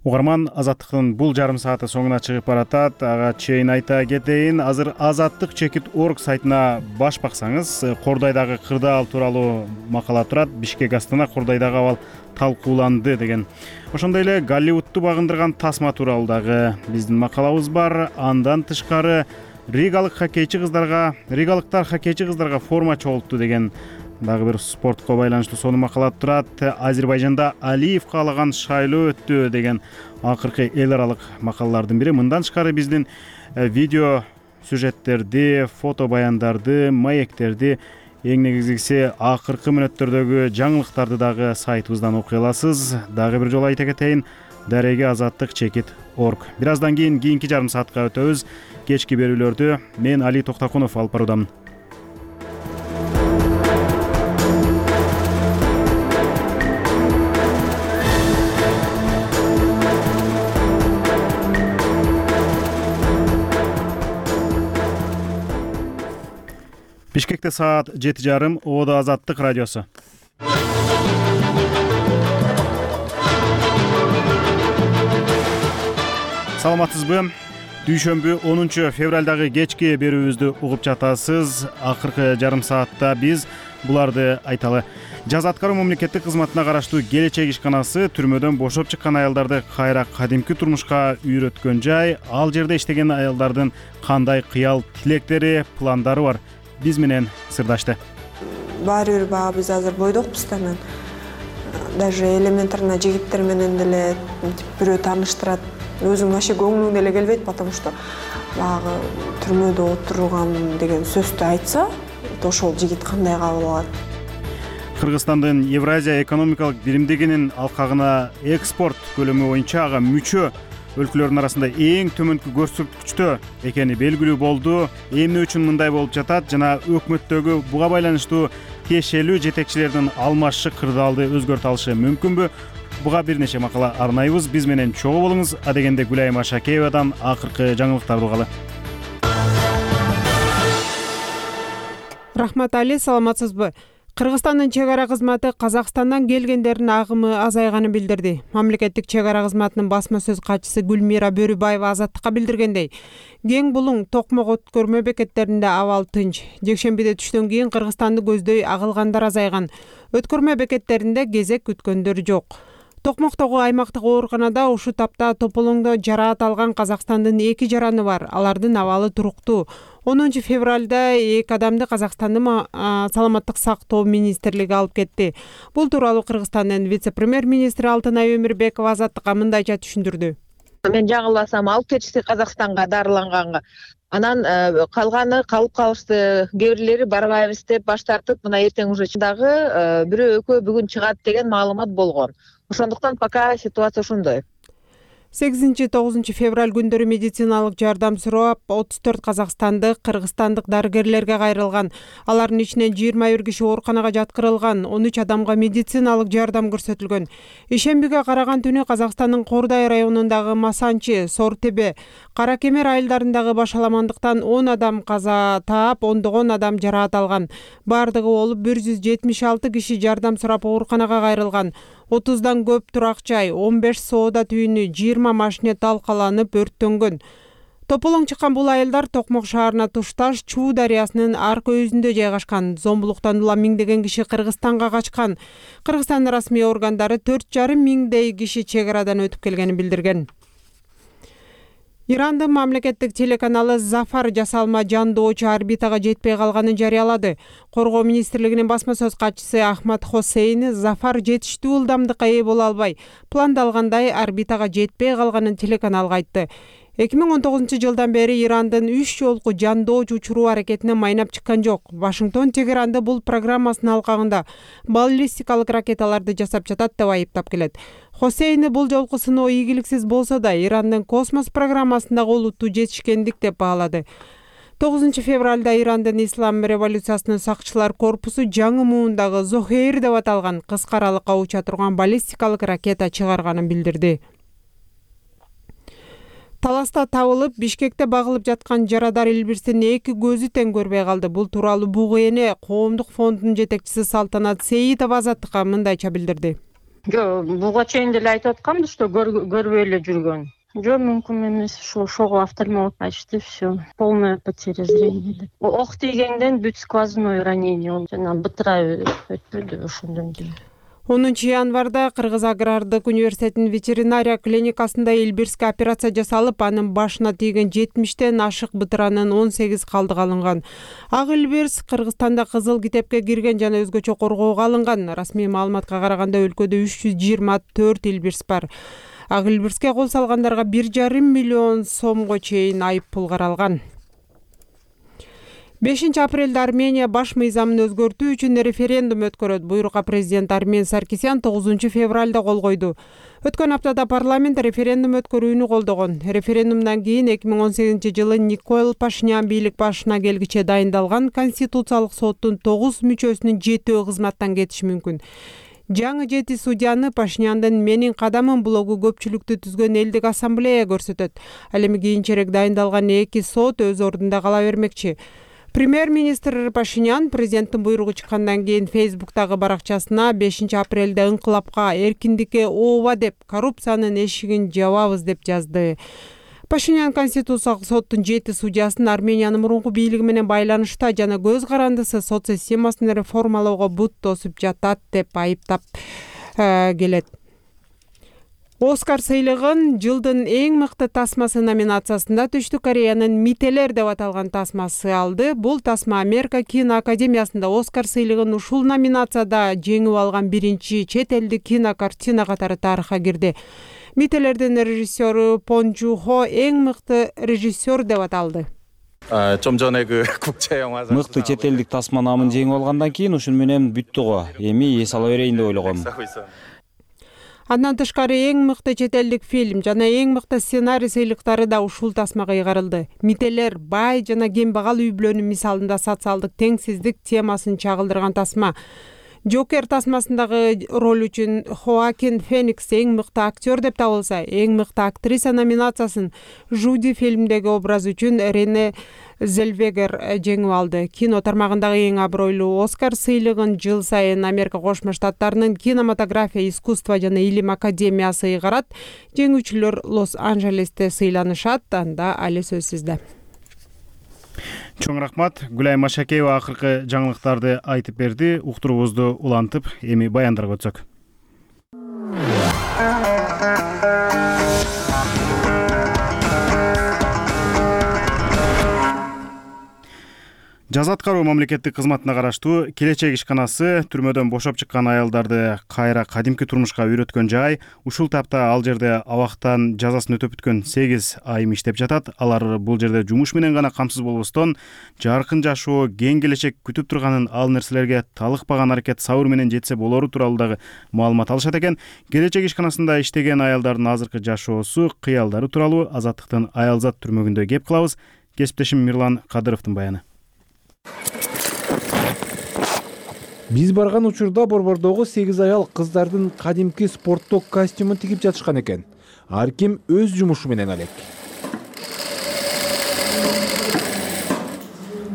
Угарман, Азаттыктын бул жарым сааты соңуна чыгып баратат. Ага чейин айта кетейин, азыр Азаттык.org сайтына баш баксаңыз, Кордойдагы кырдаал тууралуу макала турат. Бишкек Астана Кордойдагы абал талкууланды деген. Ошондой эле Голливудту багындырган тасма тууралуу дагы биздин макалабыз бар. Андан тышкары ригалыктар хоккейчи кыздарга форма чогултту деген дагы бир спортко байланыштуу сонун макала турат. Азербайжанда Алиев каалаган шайлоо өттү деген акыркы эл аралык макалалардын бири. Мындан тышкары биздин видео сюжеттерди, фото баяндарды, маектерди Эң негизгиси акыркы мүнөттөрдөгү жаңылыктарды дагы сайтыбыздан окуй аласыз. Дагы бир жолу айта кетейин, дареге азаттык чекит.org. Бир аздан кийинки жарым саатка өтөбүз. Кечки берүүлөрдү мен Али Токтакунов алып баруудамын. Бишкекте саат 7:30, Оодо Азаттык радиосу. Саламатсызбы? Дүйшөмбү 10 февралдагы кечки берүүбүздү угуп жатасыз. Акыркы жарым саатта биз буларды айталы. Жаза аткаруу мамлекеттик кызматына караштуу Келечек ишканасы түрмөдөн бошоп чыккан аялдарды кайра кадимки турмушка үйрөткөн жай. Ал жерде иштеген аялдардын кандай кыял тилектери, пландары бар? Биз менен сырдашты. Баары бир баягы биз азыр бойдокпуз да, мен даже элементарно жигиттер менен деле бирөө тааныштырат. Өзүң вообще көңүлүң деле келбейт, потому что баягы түрмөдө отурган деген сөздү айтса, ошол жигит кандай кабыл алат? Кыргызстандын Евразия экономикалык биримдигинин алкагына экспорт көлөмү боюнча ага мүчө өлкөлөрдүн арасында эң төмөнкү көрсөткүчтө экени белгилүү болду. Эмне үчүн мындай болуп жатат жана өкмөттөгү буга байланыштуу тиешелүү жетекчилердин алмашышы кырдаалды өзгөртө алышы мүмкүнбү? Буга бир нече макала арнайбыз. Биз менен чогуу болуңуз. Адегенде Гүлайым Ашакеевадан акыркы жаңылыктарды угалы. Рахмат Али, саламатсызбы? Кыргызстандын чек ара кызматы Казакстандан келгендердин агымы азайганын билдирди. Мамлекеттик чек ара кызматынын басма сөз катчысы Гүлмира Бөрүбаева Азаттыкка билдиргендей, Кең Булуң, Токмок өткөрмө бекеттеринде абал тынч. Жекшембиде түштөн кийин Кыргызстанды көздөй агылгандар азайган. Өткөрмө бекеттеринде кезек күткөндөр жок. Токмоктогу аймактык ооруканада ушу тапта тополоңдо жараат алган Казакстандын 2 жараны бар. Алардын абалы туруктуу. 10 февралда 2 адамды Казакстандын саламаттык сактоо министрлиги алып кетти. Бул тууралуу Кыргызстандын вице-премьер-министри Алтынай Өмүрбекова Азаттыкка мындайча түшүндүрдү. Мен жаңылбасам алып кетишти Казакстанга дарыланганга. Анан калганы калып калышты. Кээ бирлери барбайбыз деп баш тартып, мына эртең уже дагы бирөө экөө бүгүн чыгат деген маалымат болгон. Ошондуктан пока ситуация ошондой. 8-9 февраль күндөрү медициналык жардам сурап 34 казакстандык, кыргызстандык дарыгерлерге кайрылган. Алардын ичинен 21 киши ооруканага жаткырылган, 13 адамга медициналык жардам көрсөтүлгөн. Ишембиге караган түнү Казакстандын Кордай районундагы Масанчы, Сортебе, Кара Кемер айылдарындагы башаламандыктан 10 адам каза таап, ондогон адам жараат алган. Бардыгы болуп 176 киши жардам сурап ооруканага кайрылган. 30дан көп турак жай, 15 соода түйүнү, 20 машине талкаланып өрттөнгөн. Тополоң чыккан бул айылдар Токмок шаарына тушташ Чуу дарыясынын аркы өзүндө жайгашкан. Зомбулуктан улам миңдеген киши Кыргызстанга качкан. Кыргызстан расмий органдары 4,5 миңдей киши чек арадан өтүп келгенин билдирген. Ирандын мамлекеттик телеканалы Зафар жасалма жандоочу орбитага жетпей калганын жарыялады. Коргоо министрлигинин басма сөз катчысы Ахмад Хосейн Зафар жетиштүү ылдамдыкка ээ боло албай, пландалгандай орбитага жетпей калганын телеканалга айтты. 2019 жылдан бери Ирандын 3 жолку жандоочу учуруу аракетине майнап чыккан жок. Вашингтон Тегеранды бул программасынын алкагында баллистикалык ракеталарды жасап жатат деп айыптап келет. Хосейн бул жолку сыноо ийгиликсиз болсо да Ирандын космос программасындагы олуттуу жетишкендик деп баалады. 9 февралда Ирандын Ислам революциясынын сакчылар корпусу жаңы муундагы Зохейр деп аталган кыска аралыкка уча турган баллистикалык ракета чыгарганын билдирди. Таласта табылып, Бишкекте багылып жаткан жарадар Илбирстин 2 көзү тең көрбөй калды. Бул тууралуу БУГН коомдук фондунун жетекчиси Салтанат Сейитова Азаттыкка мындайча билдирди. Жок, буга чейин деле айтып атканбыз, что көрбөй эле жүргөн. Жок, мүмкүн эмес, ошого офтальмолог айтышты, все, полная потеря зрения. Ок тийгенден бүт сквозной ранение, жана бытыра өтпөдү ошондон кийин. 10 январда Кыргыз агрардык университетинин ветеринария клиникасында Илбирске операция жасалып, анын башына тийген 70тен ашык бытыранын 18 калдыгы алынган. Ак Илбирс Кыргызстанда кызыл китепке кирген жана өзгөчө коргоого алынган. Расмий маалыматка караганда өлкөдө 324 Илбирс бар. Ак Илбирске кол салгандарга 1,5 миллион сомго чейин айып пул каралган. 5 апрелде Армения баш мыйзамын өзгөртүү үчүн референдум өткөрөт. Буйрукка президент Армен Саркисян 9 февралда кол койду. Өткөн аптада парламент референдум өткөрүүнү колдогон. Референдумдан кийин 2018-жылы Никол Пашинян бийлик башына келгиче дайындалган Конституциялык соттун 9 мүчөсүнүн 7-өө кызматтан кетиши мүмкүн. Жаңы 7 судьяны Пашиняндын «Менин кадамым» блогу көпчүлүктү түзгөн элдик ассамблея көрсөтөт. Ал эми кийинчерээк дайындалган 2 сот өз ордунда кала бермекчи. Премьер-министр Пашинян президенттин буйругу чыккандан кийин Фейсбуктагы баракчасына 5 апрелде ыңкылапка, эркиндикке ооба деп, коррупциянын эшигин жабабыз деп жазды. Пашинян Конституциялык соттун 7 судьясын Армениянын мурунку бийлиги менен байланышта жана көз карандысы сот системасын реформалоого бут тосуп жатат деп айыптап келет. Оскар сыйлыгын жылдын эң мыкты тасмасы номинациясында Түштүк Кореянын «Мителер» деп аталган тасмасы алды. Бул тасма Америка кино академиясында Оскар сыйлыгын ушул номинацияда жеңип алган биринчи чет элдик кинокартина катары тарыхка кирди. «Мителердин» режиссеру Пон Жу Хо эң мыкты режиссер деп аталды. Мыкты чет элдик тасма намын жеңип алгандан кийин ушун менен бүттү го. Эми эс ала берейин деп ойлогом. Андан тышкары эң мыкты чет элдик фильм жана эң мыкты сценарий сыйлыктары да ушул тасмага ыйгарылды. «Мителер» бай жана кембагал үй бүлөнүн мисалында социалдык теңсиздик темасын чагылдырган тасма. Джокер тасмасындагы роль үчүн Хоакин Феникс эң мыкты актер деп табылса, эң мыкты актриса номинациясын Жуди фильмдеги образ үчүн Рене Зельвегер жеңип алды. Кино тармагындагы эң абройлуу Оскар сыйлыгын жыл сайын Америка Кошмо Штаттарынын кинематография, искусство жана илим академиясы ыйгарат. Жеңүүчүлөр Лос-Анджелесте сыйланышат, анда али сөзсүздө. Чоң рахмат. Гүлай Машакеева акыркы жаңылыктарды айтып берди. Уктуруубузду улантып, эми баяндарга өтсөк. Жаза аткаруу мамлекеттик кызматына караштуу Келечек ишканасы түрмөдөн бошоп чыккан аялдарды кайра кадимки турмушка үйрөткөн жай. Ушул тапта ал жерде абактан жазасын өтөп бүткөн 8 айым иштеп жатат. Алар бул жерде жумуш менен гана камсыз болбостон, жаркын жашоо, кең келечек күтүп турганын, ал нерселерге талыкпаган аракет сабыр менен жетсе болору тууралуу дагы маалымат алышат экен. Келечек ишканасында иштеген аялдардын азыркы жашоосу, кыялдары тууралуу Азаттыктын Аялзат түрмөгүндө кеп кылабыз. Кесиптешим Мирлан Кадыровдун баяны. Биз барган учурда борбордогу 8 аял кыздардын кадимки спорттук костюмун тигип жатышкан экен. Ар ким өз жумушу менен алек.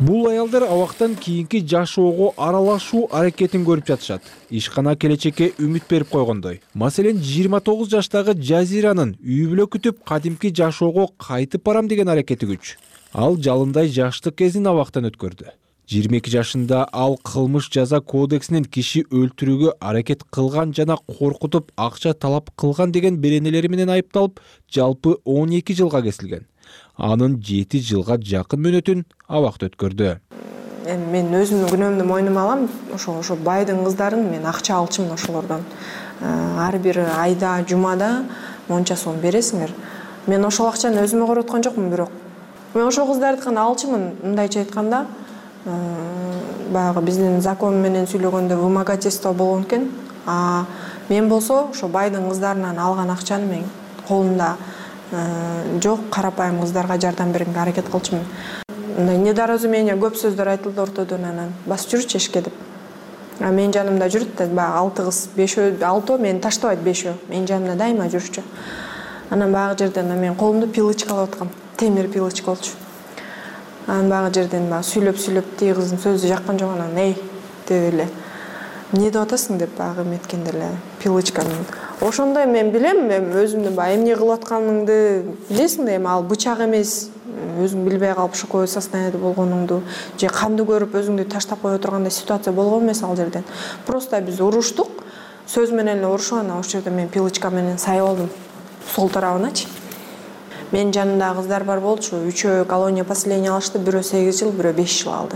Бул аялдар абактан кийинки жашоого аралашуу аракетин көрүп жатышат. Ишкана келечекке үмүт берип койгондой. Маселен, 29 жаштагы Жазиранын үй бүлө күтүп кадимки жашоого кайтып барам деген аракети күч. Ал жалындай жаштык кезин абактан өткөрдү. 22 жашында ал кылмыш жаза кодексинин киши өлтүрүүгө аракет кылган жана коркутуп акча талап кылган деген беренелери менен айыпталып, жалпы 12 жылга кесилген. Анын 7 жылга жакын мөөнөтүн абакта өткөрдү. Мен өзүмдүн күнөөмдү мойнума алам. Ошо байдын кыздарын мен акча алчумун ошолордон. Ар бир айда, жумада монча сом бересиңер. Мен ошол акчаны өзүмө короткон жокмун, бирок мен ошол кыздардыкын алчумун. Мындайча айтканда, баягы биздин закон менен сүйлөгөндө вымогательство болгон экен. Мен болсо ошо байдын кыздарынан алган акчаны мен колумда жок карапайым кыздарга жардам берүүгө аракет кылчумун. Мындай недоразумение көп сөздөр айтылды ортодон, анан басып жүрчү эшикке деп. Мен жанымда жүрүт да, баягы 6 кыз, 5 мени таштабайт, 5 менин жанымда дайыма жүрчү. Анан баягы жерден мен колумду пилочка алып аткам. Темир пилочка болчу. Анан баягы жерден сүйлөп тиги кыздын сөзү жаккан жок, анан эй деп эле эмне деп атасың деп баягы эметкенде эле пилочка. Ошондой мен билем, өзүмдүн баягы эмне кылып атканыңды билесиң да, эми ал бычак эмес, өзүң билбей калып шоковое состояниеде болгонуңду же канды көрүп өзүңдү таштап кое тургандай ситуация болгон эмес ал жерден. Просто биз уруштук, сөз менен эле урушуп, анан ошол жерде мен пилочка менен сайып алдым сол тарабыначы. Мен жанымда кыздар бар болчу, 3-өө колония поселения алышты, бирөө 8 жыл, бирөө 5 жыл алды.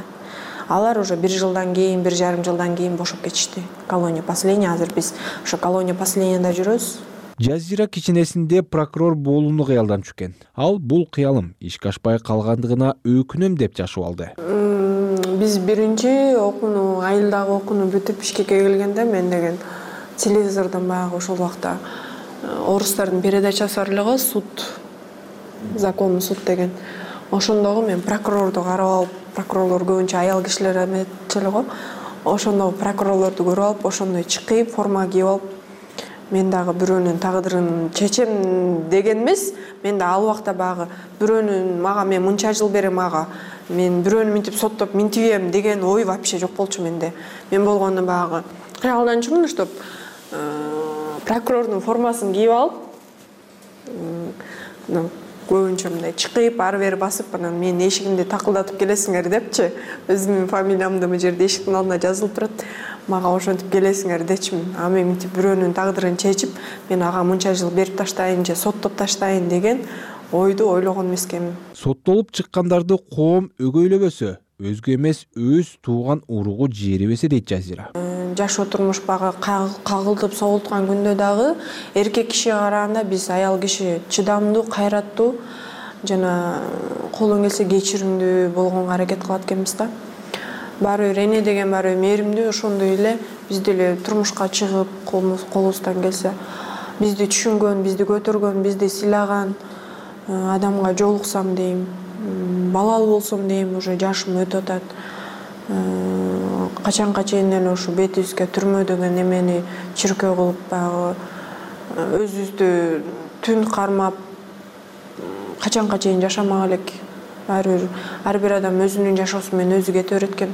Алар уже 1 жылдан кийин, 1,5 жылдан кийин бошоп кетишти. Колония поселения, азыр биз ошо колония поселенияда жүрөбүз. Жазира кичинесинде прокурор болууну кыялданчу экен. Ал бул кыялым ишке ашпай калгандыгына өкүнөм деп жашып алды. Биз биринчи окууну, айылдагы окууну бүтүп Бишкекке келгенде мен деген телевизордон баягы ошол убакта орустардын передачасы бар эле го, суд, законный суд деген. Ошондогу мен прокурорду карап алып, прокурорлор көбүнчө аял кишилер эметчү эле го. Ошондогу прокурорлорду көрүп алып, ошондой чыкып, форма кийип алып, мен дагы бирөөнүн тагдырын чечем деген эмес. Мен да ал убакта баягы бирөөнүн мага мен мынча жыл берем ага, мен бирөөнү минтип соттоп минтибем деген ой вообще жок болчу менде. Мен болгондо баягы кыялданчумун, чтоб прокурордун формасын кийип алып, көбүнчө мындай чыкып, ары бери басып, анан менин эшигимди такылдатып келесиңер депчи. Өзүмдүн фамилиямды бул жерде эшиктин алдына жазылып турат. Мага ошентип келесиңер дечимин. А мен мынтип бирөөнүн тагдырын чечип, мен ага мынча жыл берип таштайын же соттоп таштайын деген ойду ойлогон эмес экенмин. Соттолуп чыккандарды коом өгөйлөбөсө, өзгө эмес өз тууган уругу жерибесе дейт Жазира. Жашоо турмуш багы кагылтып согулткан күндө дагы эркек кишиге караганда биз аял киши чыдамдуу, кайраттуу жана колдон келсе кечиримдүү болгонго аракет кылат экенбиз да. Баары бир эне деген баары бир мээримдүү, ошондой эле биз деле турмушка чыгып, колубуздан келсе бизди түшүнгөн, бизди көтөргөн, бизди сыйлаган адамга жолуксам дейм, балалуу болсом дейм, уже жашым өтүп атат. Качанга чейин эле ушу бетибизге түрмө деген эмени чиркөө кылып, баягы өзүбүздү түн кармап, качанга чейин жашамак элек. Ар бир адам өзүнүн жашоосу менен өзү кете берет экен.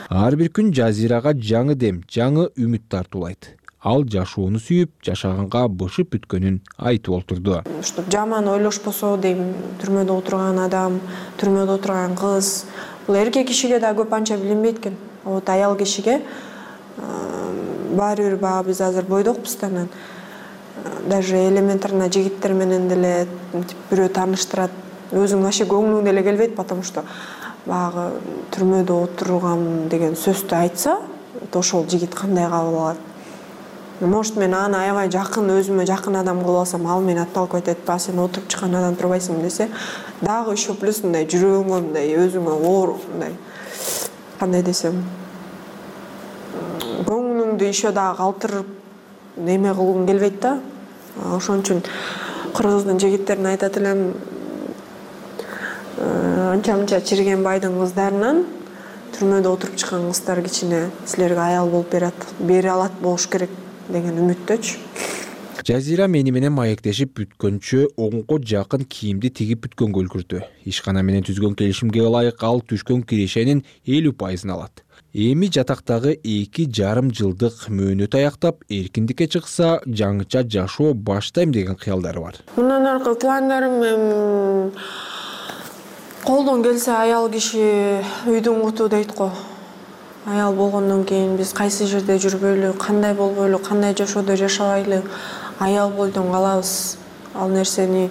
Ар бир күн Жазирага жаңы дем, жаңы үмүт тартуулайт. Ал жашоону сүйүп, жашаганга бышып бүткөнүн айтып олтурду. Чтоб жаман ойлошпосо дейм, түрмөдө отурган адам, түрмөдө отурган кыз, бул эркек кишиге да көп анча билинбейт экен. Вот аял кишиге баары бир баягы биз азыр бойдокпуз да, анан даже элементарно жигиттер менен деле бирөө тааныштырат, өзүң вообще көңүлүң деле келбейт, потому что баягы түрмөдө отурган деген сөздү айтса, ошол жигит кандай кабыл алат? Может, мен аны аябай жакын, өзүмө жакын адам кылып алсам, ал мени атталып айтат, "Ба, сен отуруп чыккан адам турбайсың" десе, дагы еще плюс мындай жүрөгүңө мындай өзүңө оор, мындай кандай десем, көңүлүңдү еще дагы калтырып неме кылгың келбейт да. Ошон үчүн кыргыздын жигиттерине айтат элем, анча-мынча чирген байдын кыздарынан түрмөдө отуруп чыккан кыздар кичине силерге аял болуп бере алат болуш керек деген үмүттөчү. Жазира мени менен маектешип бүткөнчө оңго жакын кийимди тигип бүткөнгө үлгүрдү. Ишкана менен түзгөн келишимге ылайык ал түшкөн кирешенин 50% алат. Эми жатактагы 2,5 жылдык мөөнөт аяктап, эркиндикке чыкса, жаңыча жашоо баштайм деген кыялдары бар. Мындан аркы пландарым колдон келсе аял киши үйдүн куту дейт го. Аял болгондон кийин биз кайсы жерде жүрбөйлү, кандай болбойлу, кандай жашоодо жашабайлы, аял бойдон калабыз. Ал нерсени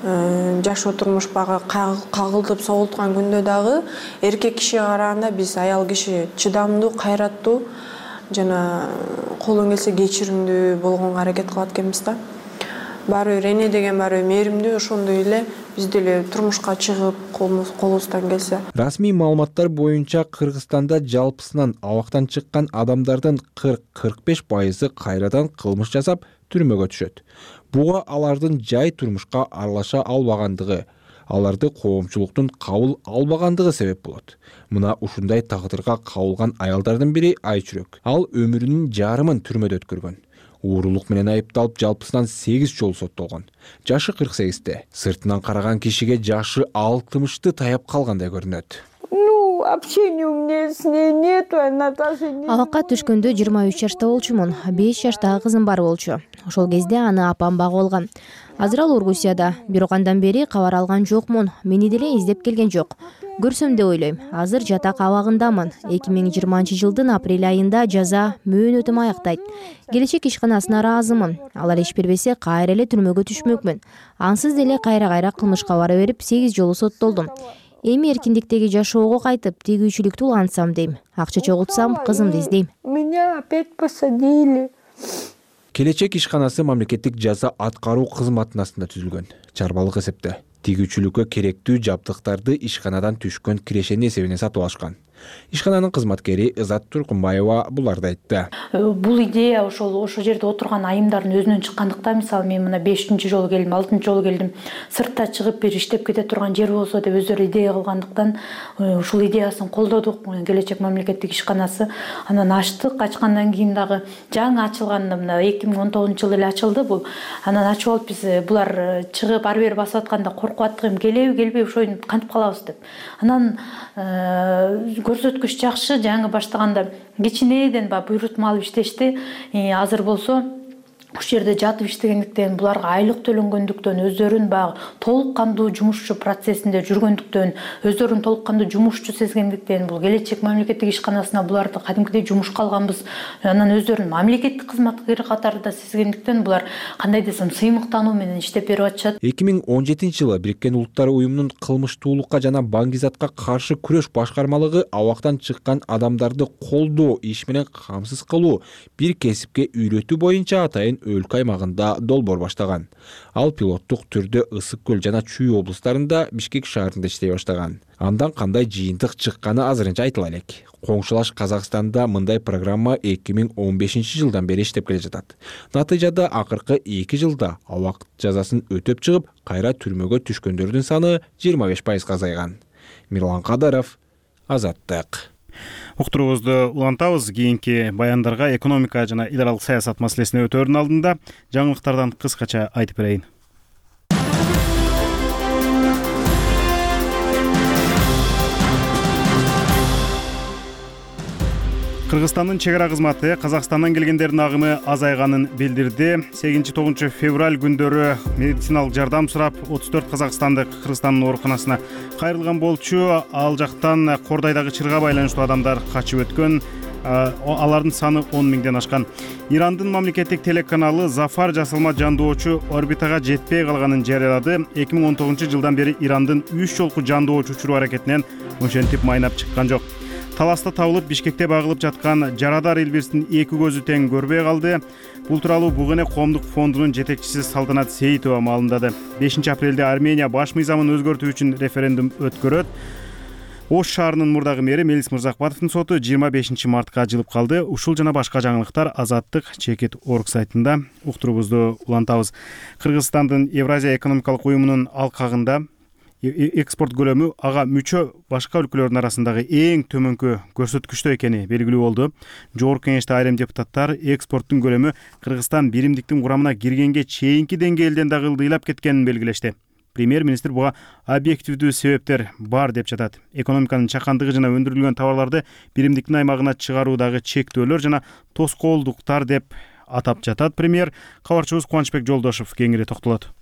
жашоо турмуш багы кагылтып согулткан күндө дагы эркек кишиге караганда биз аял киши чыдамдуу, кайраттуу жана колдон келсе кечиримдүү болгонго аракет кылат экенбиз да. Баары бир эне деген баары бир мээримдүү, ошондой эле биз деле турмушка чыгып, колубуздан келсе. Расмий маалыматтар боюнча Кыргызстанда жалпысынан абактан чыккан адамдардын 40-45% кайрадан кылмыш жасап түрмөгө түшөт. Буга алардын жай турмушка аралаша албагандыгы, аларды коомчулуктун кабыл албагандыгы себеп болот. Мына ушундай тагдырга кабылган аялдардын бири Айчүрөк. Ал өмүрүнүн жарымын түрмөдө өткөргөн. Уурулук менен айыпталып жалпысынан 8 жолу соттолгон. Жашы 48-те. Сыртынан караган кишиге жашы 60-ты таяп калгандай көрүнөт. Общение у меня с ней нету, она даже не... Абакка түшкөндө 23 жашта болчумун. 5 жаштагы кызым бар болчу. Ошол кезде аны апам багып алган. Азыр ал Оргусияда. Бирок андан бери кабар алган жокмун. Мени деле издеп келген жок. Көрсөм деп ойлойм. Азыр жатак абагындамын. 2020 жылдын апрель айында жаза мөөнөтүм аяктайт. Келечек ишканасына ыраазымын. Алар иш бербесе кайра эле түрмөгө түшмөкмүн. Ансыз деле кайра кылмышка бара берип 8 жолу соттолдум. Эми эркиндиктеги жашоого кайтып, тегүүчүлүктү улантсам дейм. Акча чогултсам, кызымды издейм. Меня опять посадили. Келечек ишканасы мамлекеттик жаза аткаруу кызматынасында түзүлгөн. Чарбалык эсепте. Тигүүчүлүккө керектүү жабдыктарды ишканадан түшкөн кирешенин эсебине сатып алышкан. Ишкананын кызматкери Ызат Туркунбаева буларды айтты. Бул идея ошол жерде отурган айымдардын өзүнөн чыккандыктан, мисалы мен мына 5-чи жолу келдим, 6-чы жолу келдим, сыртта чыгып бир иштеп кете турган жер болсо деп өздөрү идея кылгандыктан ушул идеясын колдодук. Келечек мамлекеттик ишканасы анан ачтык. Ачкандан кийин дагы жаңы ачылганда мына 2019-жылы эле ачылды бул. Анан ачып алып биз булар чыгып ар бери басып атканда коркуп аттык, келеби келбей ошону кантип калабыз деп. Анан көрсөткүч жакшы. Жаңы баштаганда кичинеден буйрутма алып иштешти. Азыр болсо ушул жерде жатып иштегендиктен, буларга айлык төлөнгөндүктөн, өздөрүн баягы толук кандуу жумушчу процессинде жүргөндүктөн, өздөрүн толук кандуу жумушчу сезгендиктен, бул келечек мамлекеттик ишканасына буларды кадимкидей жумушка алганбыз. Анан өздөрүн мамлекеттик кызматкер катарында сезгендиктен булар кандай десем сыймыктануу менен иштеп берип атышат. 2017-жылы Бириккен Улуттар уюмунун кылмыштуулукка жана баңгизатка каршы күрөш башкармалыгы абактан чыккан адамдарды колдоо, иш менен камсыз кылуу, бир кесипке үйрөтүү боюнча атайын өлкө аймагында долбоор баштаган. Ал пилоттук түрдө Ысык көл жана Чүй облустарында, Бишкек шаарында иштей баштаган. Андан кандай жыйынтык чыкканы азырынча айтыла элек. Коңшулаш Казакстанда мындай программа 2015-жылдан бери иштеп келе жатат. Натыйжада акыркы 2 жылда абак жазасын өтөп чыгып, кайра түрмөгө түшкөндөрдүн саны 25%га азайган. Мирлан Кадаров, Азаттык. Уктуруубузду улантабыз. Кийинки баяндарга экономика жана эл аралык саясат маселесине өтөөрдүн алдында жаңылыктардан кыскача айтып берейин. Кыргызстандын чек ара кызматы Казакстандан келгендердин агымы азайганын билдирди. 8-9 февраль күндөрү медициналык жардам сурап 34 казакстандык Кыргызстандын ооруканасына кайрылган болчу. Ал жактан Кордайдагы чырга байланыштуу адамдар качып өткөн. Алардын саны 10 миңден ашкан. Ирандын мамлекеттик телеканалы Зафар жасалма жандоочу орбитага жетпей калганын жарыялады. 2019-жылдан бери Ирандын 3 жолку жандоочу учуруу аракетинен ошентип майнап чыккан жок. Таласта табылып, Бишкекте багылып жаткан Жарадар Элбирстин 2 көзү тең көрбөй калды. Бул тууралуу Бугене коомдук фондунун жетекчиси Салтанат Сейитова маалымдады. 5 апрелде Армения баш мыйзамын өзгөртүү үчүн референдум өткөрөт. Ош шаарынын мурдагы мэри Мелис Мырзакбатовдун соту 25 мартка жылып калды. Ушул жана башка жаңылыктар Азаттык чекит орг сайтында. Уктуруубузду улантабыз. Кыргызстандын Евразия экономикалык уюмунун алкагында экспорт көлөмү ага мүчө башка өлкөлөрдүн арасындагы эң төмөнкү көрсөткүчтө экени белгилүү болду. Жогорку кеңеште айрым депутаттар экспорттун көлөмү Кыргызстан биримдиктин курамына киргенге чейинки деңгээлден дагы ылдыйлап кеткенин белгилешти. Премьер-министр буга объективдүү себептер бар деп жатат. Экономиканын чакандыгы жана өндүрүлгөн товарларды биримдиктин аймагына чыгаруудагы чектөөлөр жана тоскоолдуктар деп атап жатат. Премьер кабарчыбыз Кубанычбек Жолдошов кеңири токтолот.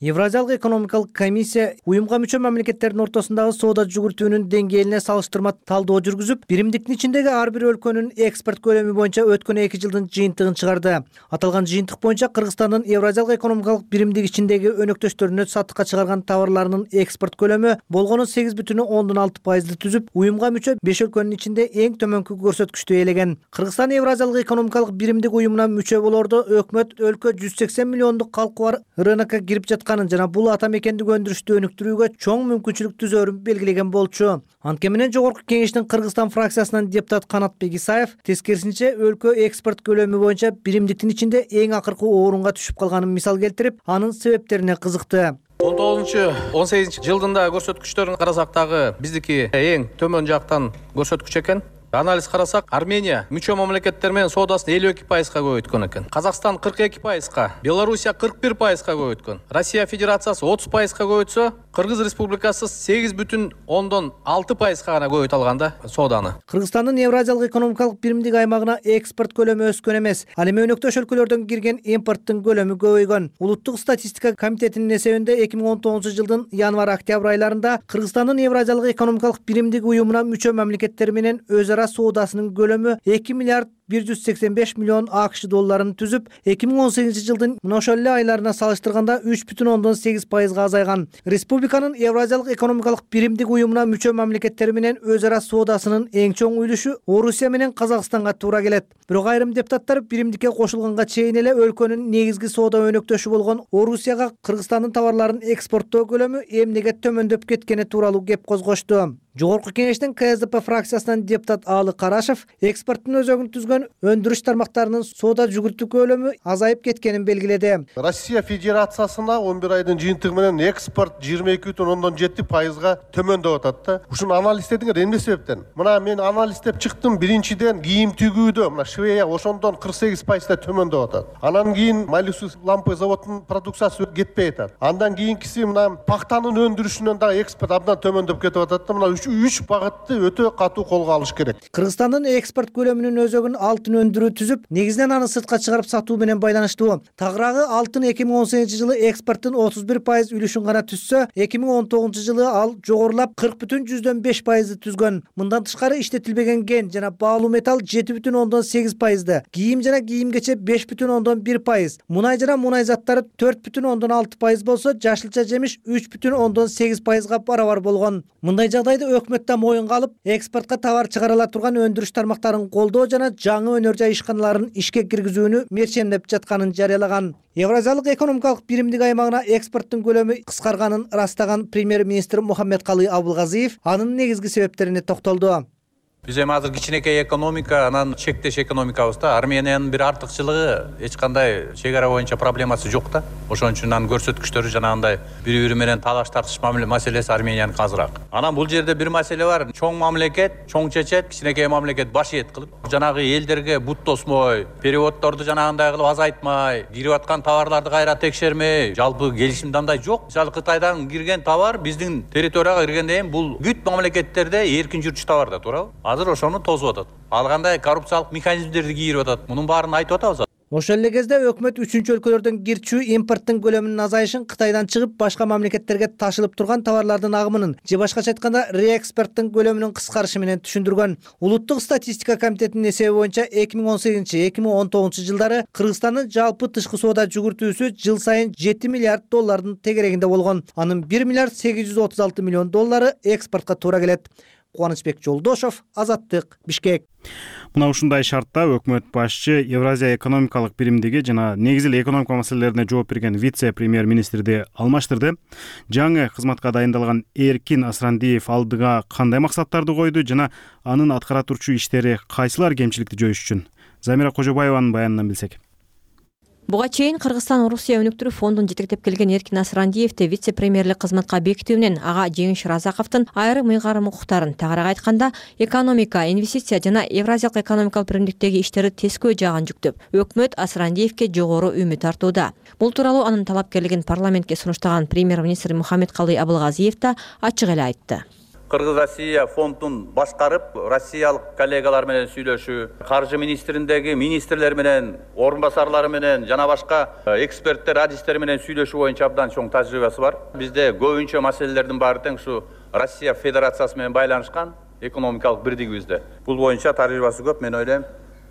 Евразиялык экономикалык комиссия уюмга мүчө мамлекеттердин ортосундагы соода жүгүртүүнүн деңгээлине салыштырма талдоо жүргүзүп, биримдиктин ичиндеги ар бир өлкөнүн экспорт көлөмү боюнча өткөн 2 жылдын жыйынтыгын чыгарды. Аталган жыйынтык боюнча Кыргызстандын Евразиялык экономикалык биримдик ичиндеги өнөктөштөрүнө сатыкка чыгарган товарларынын экспорт көлөмү болгону 8,6% түзүп, уюмга мүчө 5 өлкөнүн ичинде эң төмөнкү көрсөткүчтү ээлеген. Кыргызстан Евразиялык экономикалык биримдик уюмуна мүчө болоордо өкмөт өлкө 180 миллиондук калкы бар рынокко кирип жатканын жана бул ата мекендик өндүрүштү өнүктүрүүгө чоң мүмкүнчүлүк түзөрүн белгилеген болчу. Анткени менен Жогорку кеңештин Кыргызстан фракциясынан депутат Канатбек Исаев тескерисинче өлкө экспорт көлөмү боюнча биримдиктин ичинде эң акыркы орунга түшүп калганын мисал келтирип, анын себептерине кызыкты. 19-18 жылдында көрсөткүчтөрүн карасак дагы биздики эң төмөн жактан көрсөткүч экен. Анализ карасак, Армения мүчө мамлекеттер менен соодасын 52%га көбөйткөн экен. Казакстан 42%га, Белоруссия 41%га көбөйткөн. Россия Федерациясы 30%га көбөйтсө, Кыргыз Республикасы 8,6%га гана көбөйтө алган сооданы. Кыргызстандын Евразиялык экономикалык биримдик аймагына экспорт көлөмү өскөн эмес. Ал эми өнөктөш өлкөлөрдөн кирген импорттун көлөмү көбөйгөн. Улуттук статистика комитетинин эсебинде 2019-жылдын январь-октябрь айларында Кыргызстандын Евразиялык экономикалык биримдик уюмуна мүчө мамлекеттер менен өз ара соодасынын көлөмү 2 миллиард 185 миллион АКШ долларын түзүп, 2018 жылдын мына ошол эле айларына салыштырганда 3,8% азайган. Республиканын Евразиялык экономикалык биримдик уюмуна мүчө мамлекеттери менен өз ара соодасынын эң чоң үлүшү Орусия менен Казакстанга туура келет. Бирок айрым депутаттар биримдикке кошулганга чейин эле өлкөнүн негизги соода өнөктөшү болгон Орусияга Кыргызстандын товарларын экспорттоо көлөмү эмнеге төмөндөп кеткени тууралуу кеп козгошту. Жогорку кеңештин КСДП фракциясынан депутат Аалы Карашев экспорттун өзөгүн түзгөн өндүрүш тармактарынын соода жүгүртүү көлөмү азайып кеткенин белгиледи. Россия Федерациясына 11 айдын жыйынтыгы менен экспорт 22,7%га төмөндөп атат да. Ушуну анализдедиңер эмне себептен? Мына мен анализдеп чыктым. Биринчиден кийим тигүүдө мына Швея ошондон 48% төмөндөп атат. Анан кийин Малюсус лампы заводунун продукциясы кетпей атат. Андан кийинкиси мына пактанын өндүрүшүнөн дагы экспорт абдан төмөндөп кетип атат да. Мына 3 багытты өтө катуу колго алыш керек. Кыргызстандын экспорт көлөмүнүн өзөгүн алтын өндүрүү түзүп, негизинен аны сыртка чыгарып сатуу менен байланыштуу. Тагыраагы алтын 2018 жылы экспорттун 31% үлүшүн гана түзсө, 2019 жылы ал жогорулап 40,5% түзгөн. Мындан тышкары иштетилбеген ген жана баалуу металл 7,8%, кийим жана кийимгече 5,1%, мунай жана мунай заттары 4,6% болсо, жашылча жемиш 3,8%га барабар болгон. Мындай жагдайды өкмөт да моюнга алып, экспортко товар чыгарыла турган өндүрүш тармактарын колдоо жана жаңы өнөр жай ишканаларын ишке киргизүүнү мерчемдеп жатканын жарыялаган. Евразиялык экономикалык биримдик аймагына экспорттун көлөмү кыскарганын ырастаган премьер-министр Мухаммедкалый Абылгазиев анын негизги себептерине токтолду. Биз эми азыр кичинекей экономика, анан чектеш экономикабызда Армениянын бир артыкчылыгы эч кандай чек ара боюнча проблемасы жок да. Ошон үчүн анын көрсөткүчтөрү жанагындай бири-бири менен талаш тартыш маселеси Арменияныкы азыраак. Анан бул жерде бир маселе бар. Чоң мамлекет чоң чечет, кичинекей мамлекет баш ийет кылып, жанагы элдерге бут тосмой, переводдорду жанагындай кылып азайтмай, кирип аткан товарларды кайра текшермей, жалпы келишимде андай жок. Мисалы Кытайдан кирген товар биздин территорияга киргенден кийин бул бүт мамлекеттерде эркин жүрчү товар да, туурабы? Азыр ошону тосуп атат. Ал кандай коррупциялык механизмдерди кийирип атат. Мунун баарын айтып атабыз. Ошол эле кезде өкмөт үчүнчү өлкөлөрдөн кирчүү импорттун көлөмүнүн азайышын, Кытайдан чыгып башка мамлекеттерге ташылып турган товарлардын агымынын же башкача айтканда реэкспорттун көлөмүнүн кыскарышы менен түшүндүргөн. Улуттук статистика комитетинин эсеби боюнча 2018-2019 жылдары Кыргызстандын жалпы тышкы соода жүгүртүүсү жыл сайын 7 миллиард доллардын тегерегинде болгон. Анын 1 миллиард 836 миллион доллары экспортко туура келет. Кубанычбек Жолдошов, Азаттык, Бишкек. Мына ушундай шартта өкмөт башчы Евразия экономикалык биримдиги жана негизи эле экономика маселелерине жооп берген вице-премьер-министрди алмаштырды. Жаңы кызматка дайындалган Эркин Асрандиев алдыга кандай максаттарды койду жана анын аткара турчу иштери кайсылар кемчиликти жоюш үчүн? Замира Кожобаеванын баянынан билсек. Буга чейин Кыргызстан Орусия өнүктүрүү фондун жетектеп келген Эркин Асрандиевди вице-премьерлик кызматка бекитүү менен ага Жеңиш Разаковдун айрым ыйгарым укуктарын, тагыраак айтканда, экономика, инвестиция жана Евразиялык экономикалык биримдиктеги иштери тескөө жагын жүктөп, өкмөт Асрандиевге жогору үмүт артууда. Бул тууралуу анын талапкерлигин парламентке сунуштаган премьер-министр Мухаммедкалый Абылгазиев да ачык эле айтты. Кыргыз-Россия фондун башкарып, россиялык коллегалар менен сүйлөшүү, каржы министриндеги министрлер менен, орун басарлары менен жана башка эксперттер, адистер менен сүйлөшүү боюнча абдан чоң тажрыйбасы бар. Бизде көбүнчө маселелердин баары тең ушу Россия Федерациясы менен байланышкан экономикалык бирдигибизде. Бул боюнча тажрыйбасы көп, мен ойлойм.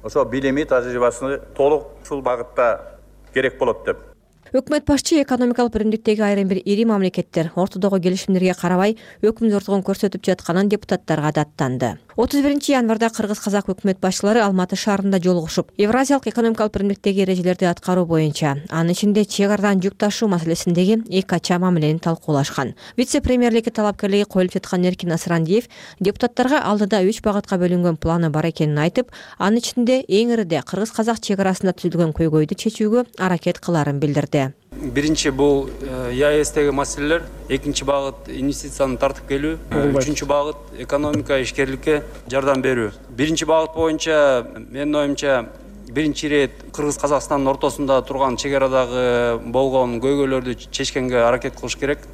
Ошо билими, тажрыйбасы толук ушул багытта керек болот деп. Өкмөт башчы экономикалык биримдиктеги айрым бир ири мамлекеттер ортодогу келишимдерге карабай өкүм зордугун көрсөтүп жатканын депутаттарга даттанды. 31 январда кыргыз-казак өкмөт башчылары Алматы шаарында жолугушуп, Евразиялык экономикалык биримдиктеги эрежелерди аткаруу боюнча, анын ичинде чек арадан жүк ташуу маселесиндеги эки ача мамилени талкуулашкан. Вице-премьерликке талапкерлиги коюлуп жаткан Эркин Асрандиев депутаттарга алдыда 3 багытка бөлүнгөн планы бар экенин айтып, анын ичинде эң ириде кыргыз-казак чек арасында түзүлгөн көйгөйдү чечүүгө аракет кыларын билдирди. Биринчи бул ЕАЭСтеги маселелер, экинчи багыт инвестицияны тартып келүү, үчүнчү багыт экономика ишкерликке жардам берүү. Биринчи багыт боюнча менин оюмча биринчи ирет Кыргыз-Казакстандын ортосунда турган чек арадагы болгон көйгөйлөрдү чечкенге аракет кылыш керек.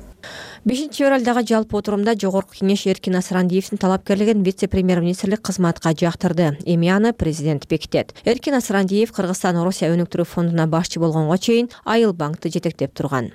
5 февралдагы жалпы отурумда Жогорку кеңеш Эркин Асрандиевдин талапкерлигин вице-премьер-министрлик кызматка жактырды. Эми аны президент бекитет. Эркин Асрандиев Кыргызстан Орусия өнүктүрүү фондуна башчы болгонго чейин Айыл банкты жетектеп турган.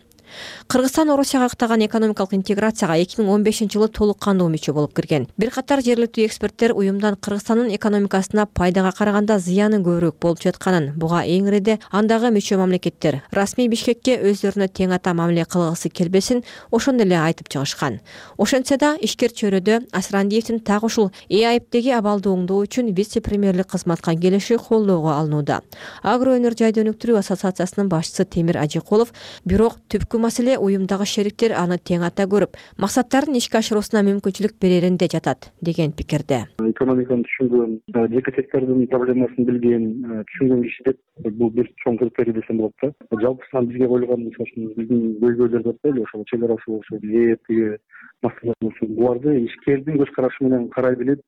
Кыргызстан Орусияга каттаган экономикалык интеграцияга 2015-жылы толук кандуу мүчө болуп кирген. Бир катар жергиликтүү эксперттер уюмдан Кыргызстандын экономикасына пайдага караганда зыяны көбүрөөк болуп жатканын, буга эң ириде андагы мүчө мамлекеттер расмий Бишкекке өздөрүнө тең ата мамиле кылгысы келбесин ошондой эле айтып чыгышкан. Ошентсе да ишкер чөйрөдө Асрандиевдин так ушул ЭАИПтеги абалды оңдоо үчүн вице-премьерлик кызматка келиши колдоого алынууда. Агро өнөр жайды өнүктүрүү ассоциациясынын башчысы Темир Ажикулов, бирок түпкү маселе уюмдагы шериктер аны тең ата көрүп, максаттарын ишке ашыруусуна мүмкүнчүлүк береринде жатат деген пикирде. Экономиканы түшүнгөн, жеке сектордун проблемасын билген, түшүнгөн киши деп бул бир чоң критерий десем болот да. Жалпысынан бизге коюлган биздин көйгөйлөр деп коелу, ошол чек арасы болсо, тиги маселелер болсо, буларды ишкердин көз карашы менен карай билип,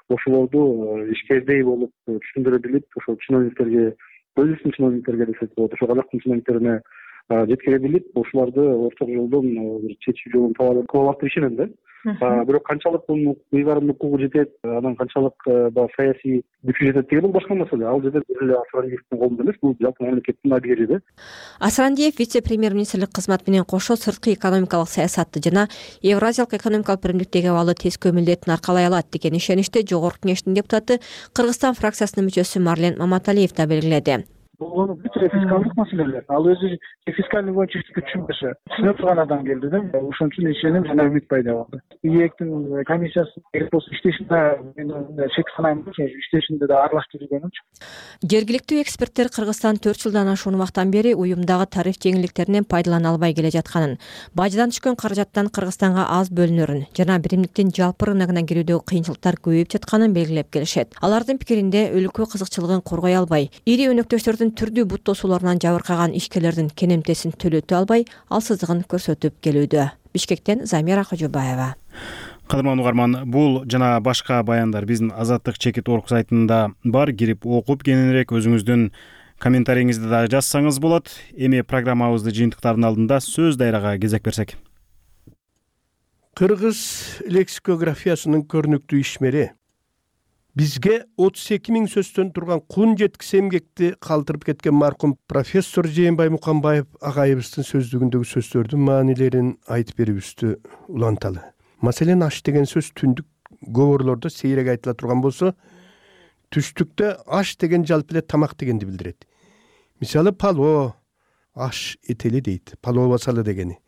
ошолорду ишкердей болуп түшүндүрө билип, ошол чиновниктерге, өзүбүздүн чиновниктерге десек болот, ошол казактын чиновниктерине жеткире билип, ошоларды орток жолдон бир чечүү жолун таба алат деп ишенем да. Бирок канчалык мунун ыйгарым укугу жетет, анан канчалык саясий күчү жетет деген бул башка маселе. Ал жерде эле Асрандиевдин колунда эмес, бул жалпы мамлекеттин абийири да. Асрандиев вице-премьер-министрлик кызматы менен кошо сырткы экономикалык саясатты жана Евразиялык экономикалык биримдиктеги абалы тескөө милдетин аркалай алат деген ишеничти Жогорку Кеңештин депутаты, Кыргызстан фракциясынын мүчөсү Марлен Маматалиев да белгиледи. Бул бүт фискалдык маселелер. Ал өзү фискальный боюнча түшүнбөсө, түшүнө турган адам келди да. Ошон үчүн ишеним жана үмүт пайда болду. ИЭКтин комиссиясы иштешинде мен шек санайм, иштешинде да аралашып жүргөнүмчү. Жергиликтүү эксперттер Кыргызстан 4 жылдан ашуун убактан бери уюмдагы тариф жеңилдиктеринен пайдалана албай келе жатканын, баждан түшкөн каражаттан Кыргызстанга аз бөлүнөрүн жана биримдиктин жалпы рыногуна кирүүдөгү кыйынчылыктар көбөйүп жатканын белгилеп келишет. Алардын пикиринде өлкө кызыкчылыгын коргой албай, ири өнөктөштөрдүн түрдүү бут тосууларынан жабыркаган ишкерлердин кенемтесин төлөтө албай, алсыздыгын көрсөтүп келүүдө. Бишкектен Замира Кожобаева. Кадырман угарман, бул жана башка баяндар биздин Азаттык чекит орг сайтында бар, кирип окуп кененирээк өзүңүздүн комментарийиңизди дагы жазсаңыз болот. Эми программабызды жыйынтыктардын алдында сөз дайрага кезек берсек. Кыргыз лексикографиясынын көрүнүктүү ишмери бизге 32 000 сөздөн турган кун жеткис эмгекти калтырып кеткен маркум профессор Жээнбай Муканбаев агайыбыздын сөздүгүндөгү сөздөрдүн маанилерин айтып берүүбүздү уланталы. Маселен, аш деген сөз түндүк гоборлордо сейрек айтыла турган болсо, түштүктө аш деген жалпы эле тамак дегенди билдирет. Мисалы, палоо, аш этели дейт, палоо басалы дегени.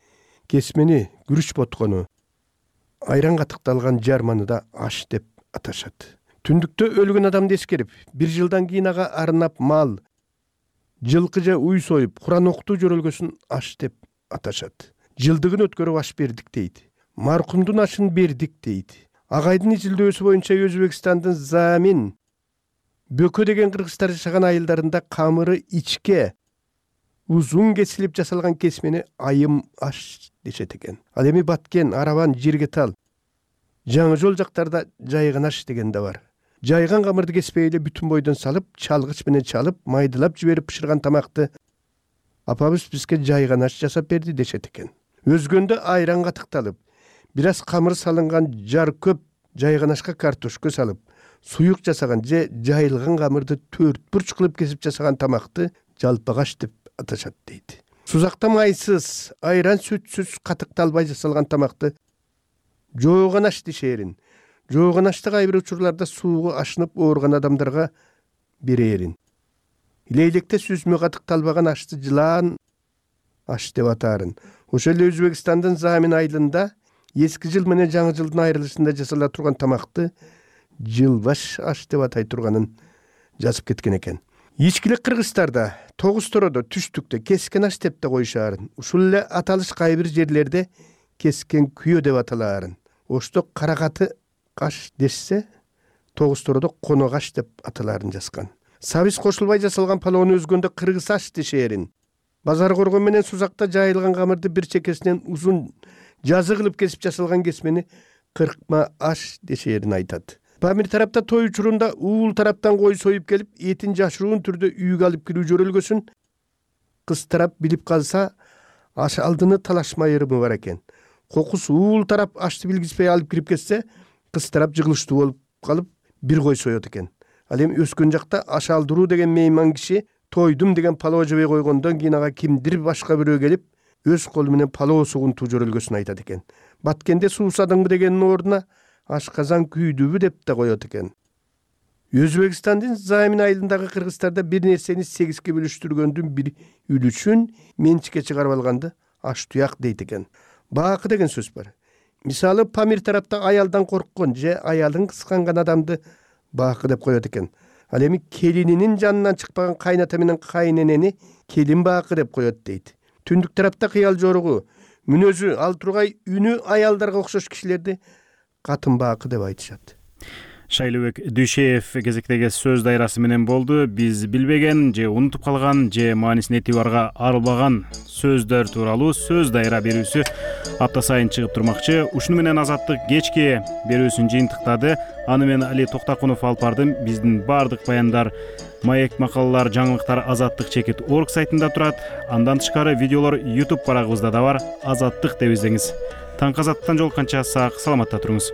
Кесмени, күрүч боткону, айран катыкталган жарманы да аш деп аташат. Түндүктө өлгөн адамды эскерип, 1 жылдан кийин ага арнап мал, жылкы же уй союп, Куран окутуу жөрөлгөсүн аш деп аташат. Жылдыгын өткөрүп аш бердик дейт. Маркумдун ашын бердик дейт. Агайдын изилдөөсү боюнча Өзбекстандын Замин, Бөкө деген кыргыздар жашаган айылдарында камыры ичке, узун кесилип жасалган кесмени айым аш дешет экен. Ал эми Баткен, Арабан, Жиргетал, Жаңы жол жактарда жайган аш деген да бар. Жайган камырды кеспей эле бүтүн бойдон салып, чалгыч менен чалып, майдылап жиберип пышырган тамакты апабыз бизге жайган аш жасап берди дешет экен. Өзгөндө айран катыкталып, бир аз камыр салынган жар көп жайган ашка картошка салып, суюк жасаган же жайылган камырды 4 бурч кылып кесип жасаган тамакты жалпагаш деп аташат дейт. Сузакта майсыз, айран сүтсүз катыкталбай жасалган тамакты жооган аш дешерин. Жооган ашты кайбир учурларда сууга ашынып ооруган адамдарга берерин. Лейлекте сүзмө катыкталбаган ашты жылаан аш деп атаарын. Ошол эле Өзбекстандын Замин айылында эски жыл менен жаңы жылдын айрылышында жасала турган тамакты жылбаш аш деп атай турганын жазып кеткен экен. Ичкилик Кыргызстарда, Тогуз-Тородо, Түштүктө кескен аш деп да коюшаарын. Ушул эле аталыш кайбир жерлерде кескен күйө деп аталаарын. Ошто каракаты каш дешсе, Тогуз-Тородо коногаш деп аталаарын жазган. Сабиз кошулбай жасалган палоону өзгөндө кыргыз аш дешерин. Базар коргон менен сузакта жайылган камырды бир чекесинен узун жазы кылып кесип жасалган кесмени кыркма аш дешерин айтат. Памир тарапта той учурунда уул тараптан кой союп келип, этин жашыруун түрдө үйгө алып кирүү жөрөлгөсүн кыз тарап билип калса, аш алдыны талашма ырымы бар экен. Кокус уул тарап ашты билгизбей алып кирип кетсе, кыз тарап жыгылыштуу болуп калып бир кой соёт экен. Ал эми өскөн жакта аш алдыруу деген мейман киши тойдум деген палоо жебей койгондон кийин ага кимдир башка бирөө келип, өз колу менен палоо сугунтуу жөрөлгөсүн айтат экен. Баткенде суусадыңбы дегенин ордуна ашказан күйдүбү деп да коет экен. Өзбекстандын Замин айылындагы кыргыздарда бир нерсени 8ке бөлүштүргөндүн бир үлүчүн менчикке чыгарып алганды аш туяк дейт экен. Баакы деген сөз бар. Мисалы, Памир тарапта аялдан корккон же аялын кысканган адамды баакы деп коет экен. Ал эми келининин жанынан чыкпаган кайната менен кайненени келин баакы деп коет дейт. Түндүк тарапта кыял жоругу, мүнөзү, ал тургай үнү аялдарга окшош кишилерди катын баакы деп айтышат. Шайлыбек Дүйшеев кезектеги сөз дайрасы менен болду. Биз билбеген же унутуп калган же маанисин этибарга арылбаган сөздөр тууралуу сөз дайра берүүсү апта сайын чыгып турмакчы. Ушуну менен Азаттык кечки берүүсүн жыйынтыктады. Аны мен Али Токтакунов алып бардым. Биздин баардык баяндар, маек макалалар, жаңылыктар azattik.org сайтында турат. Андан тышкары видеолор YouTube барагыбызда да бар. Азаттык деп издеңиз. Таңкы Азаттыктан жолукканча сак саламатта туруңуз.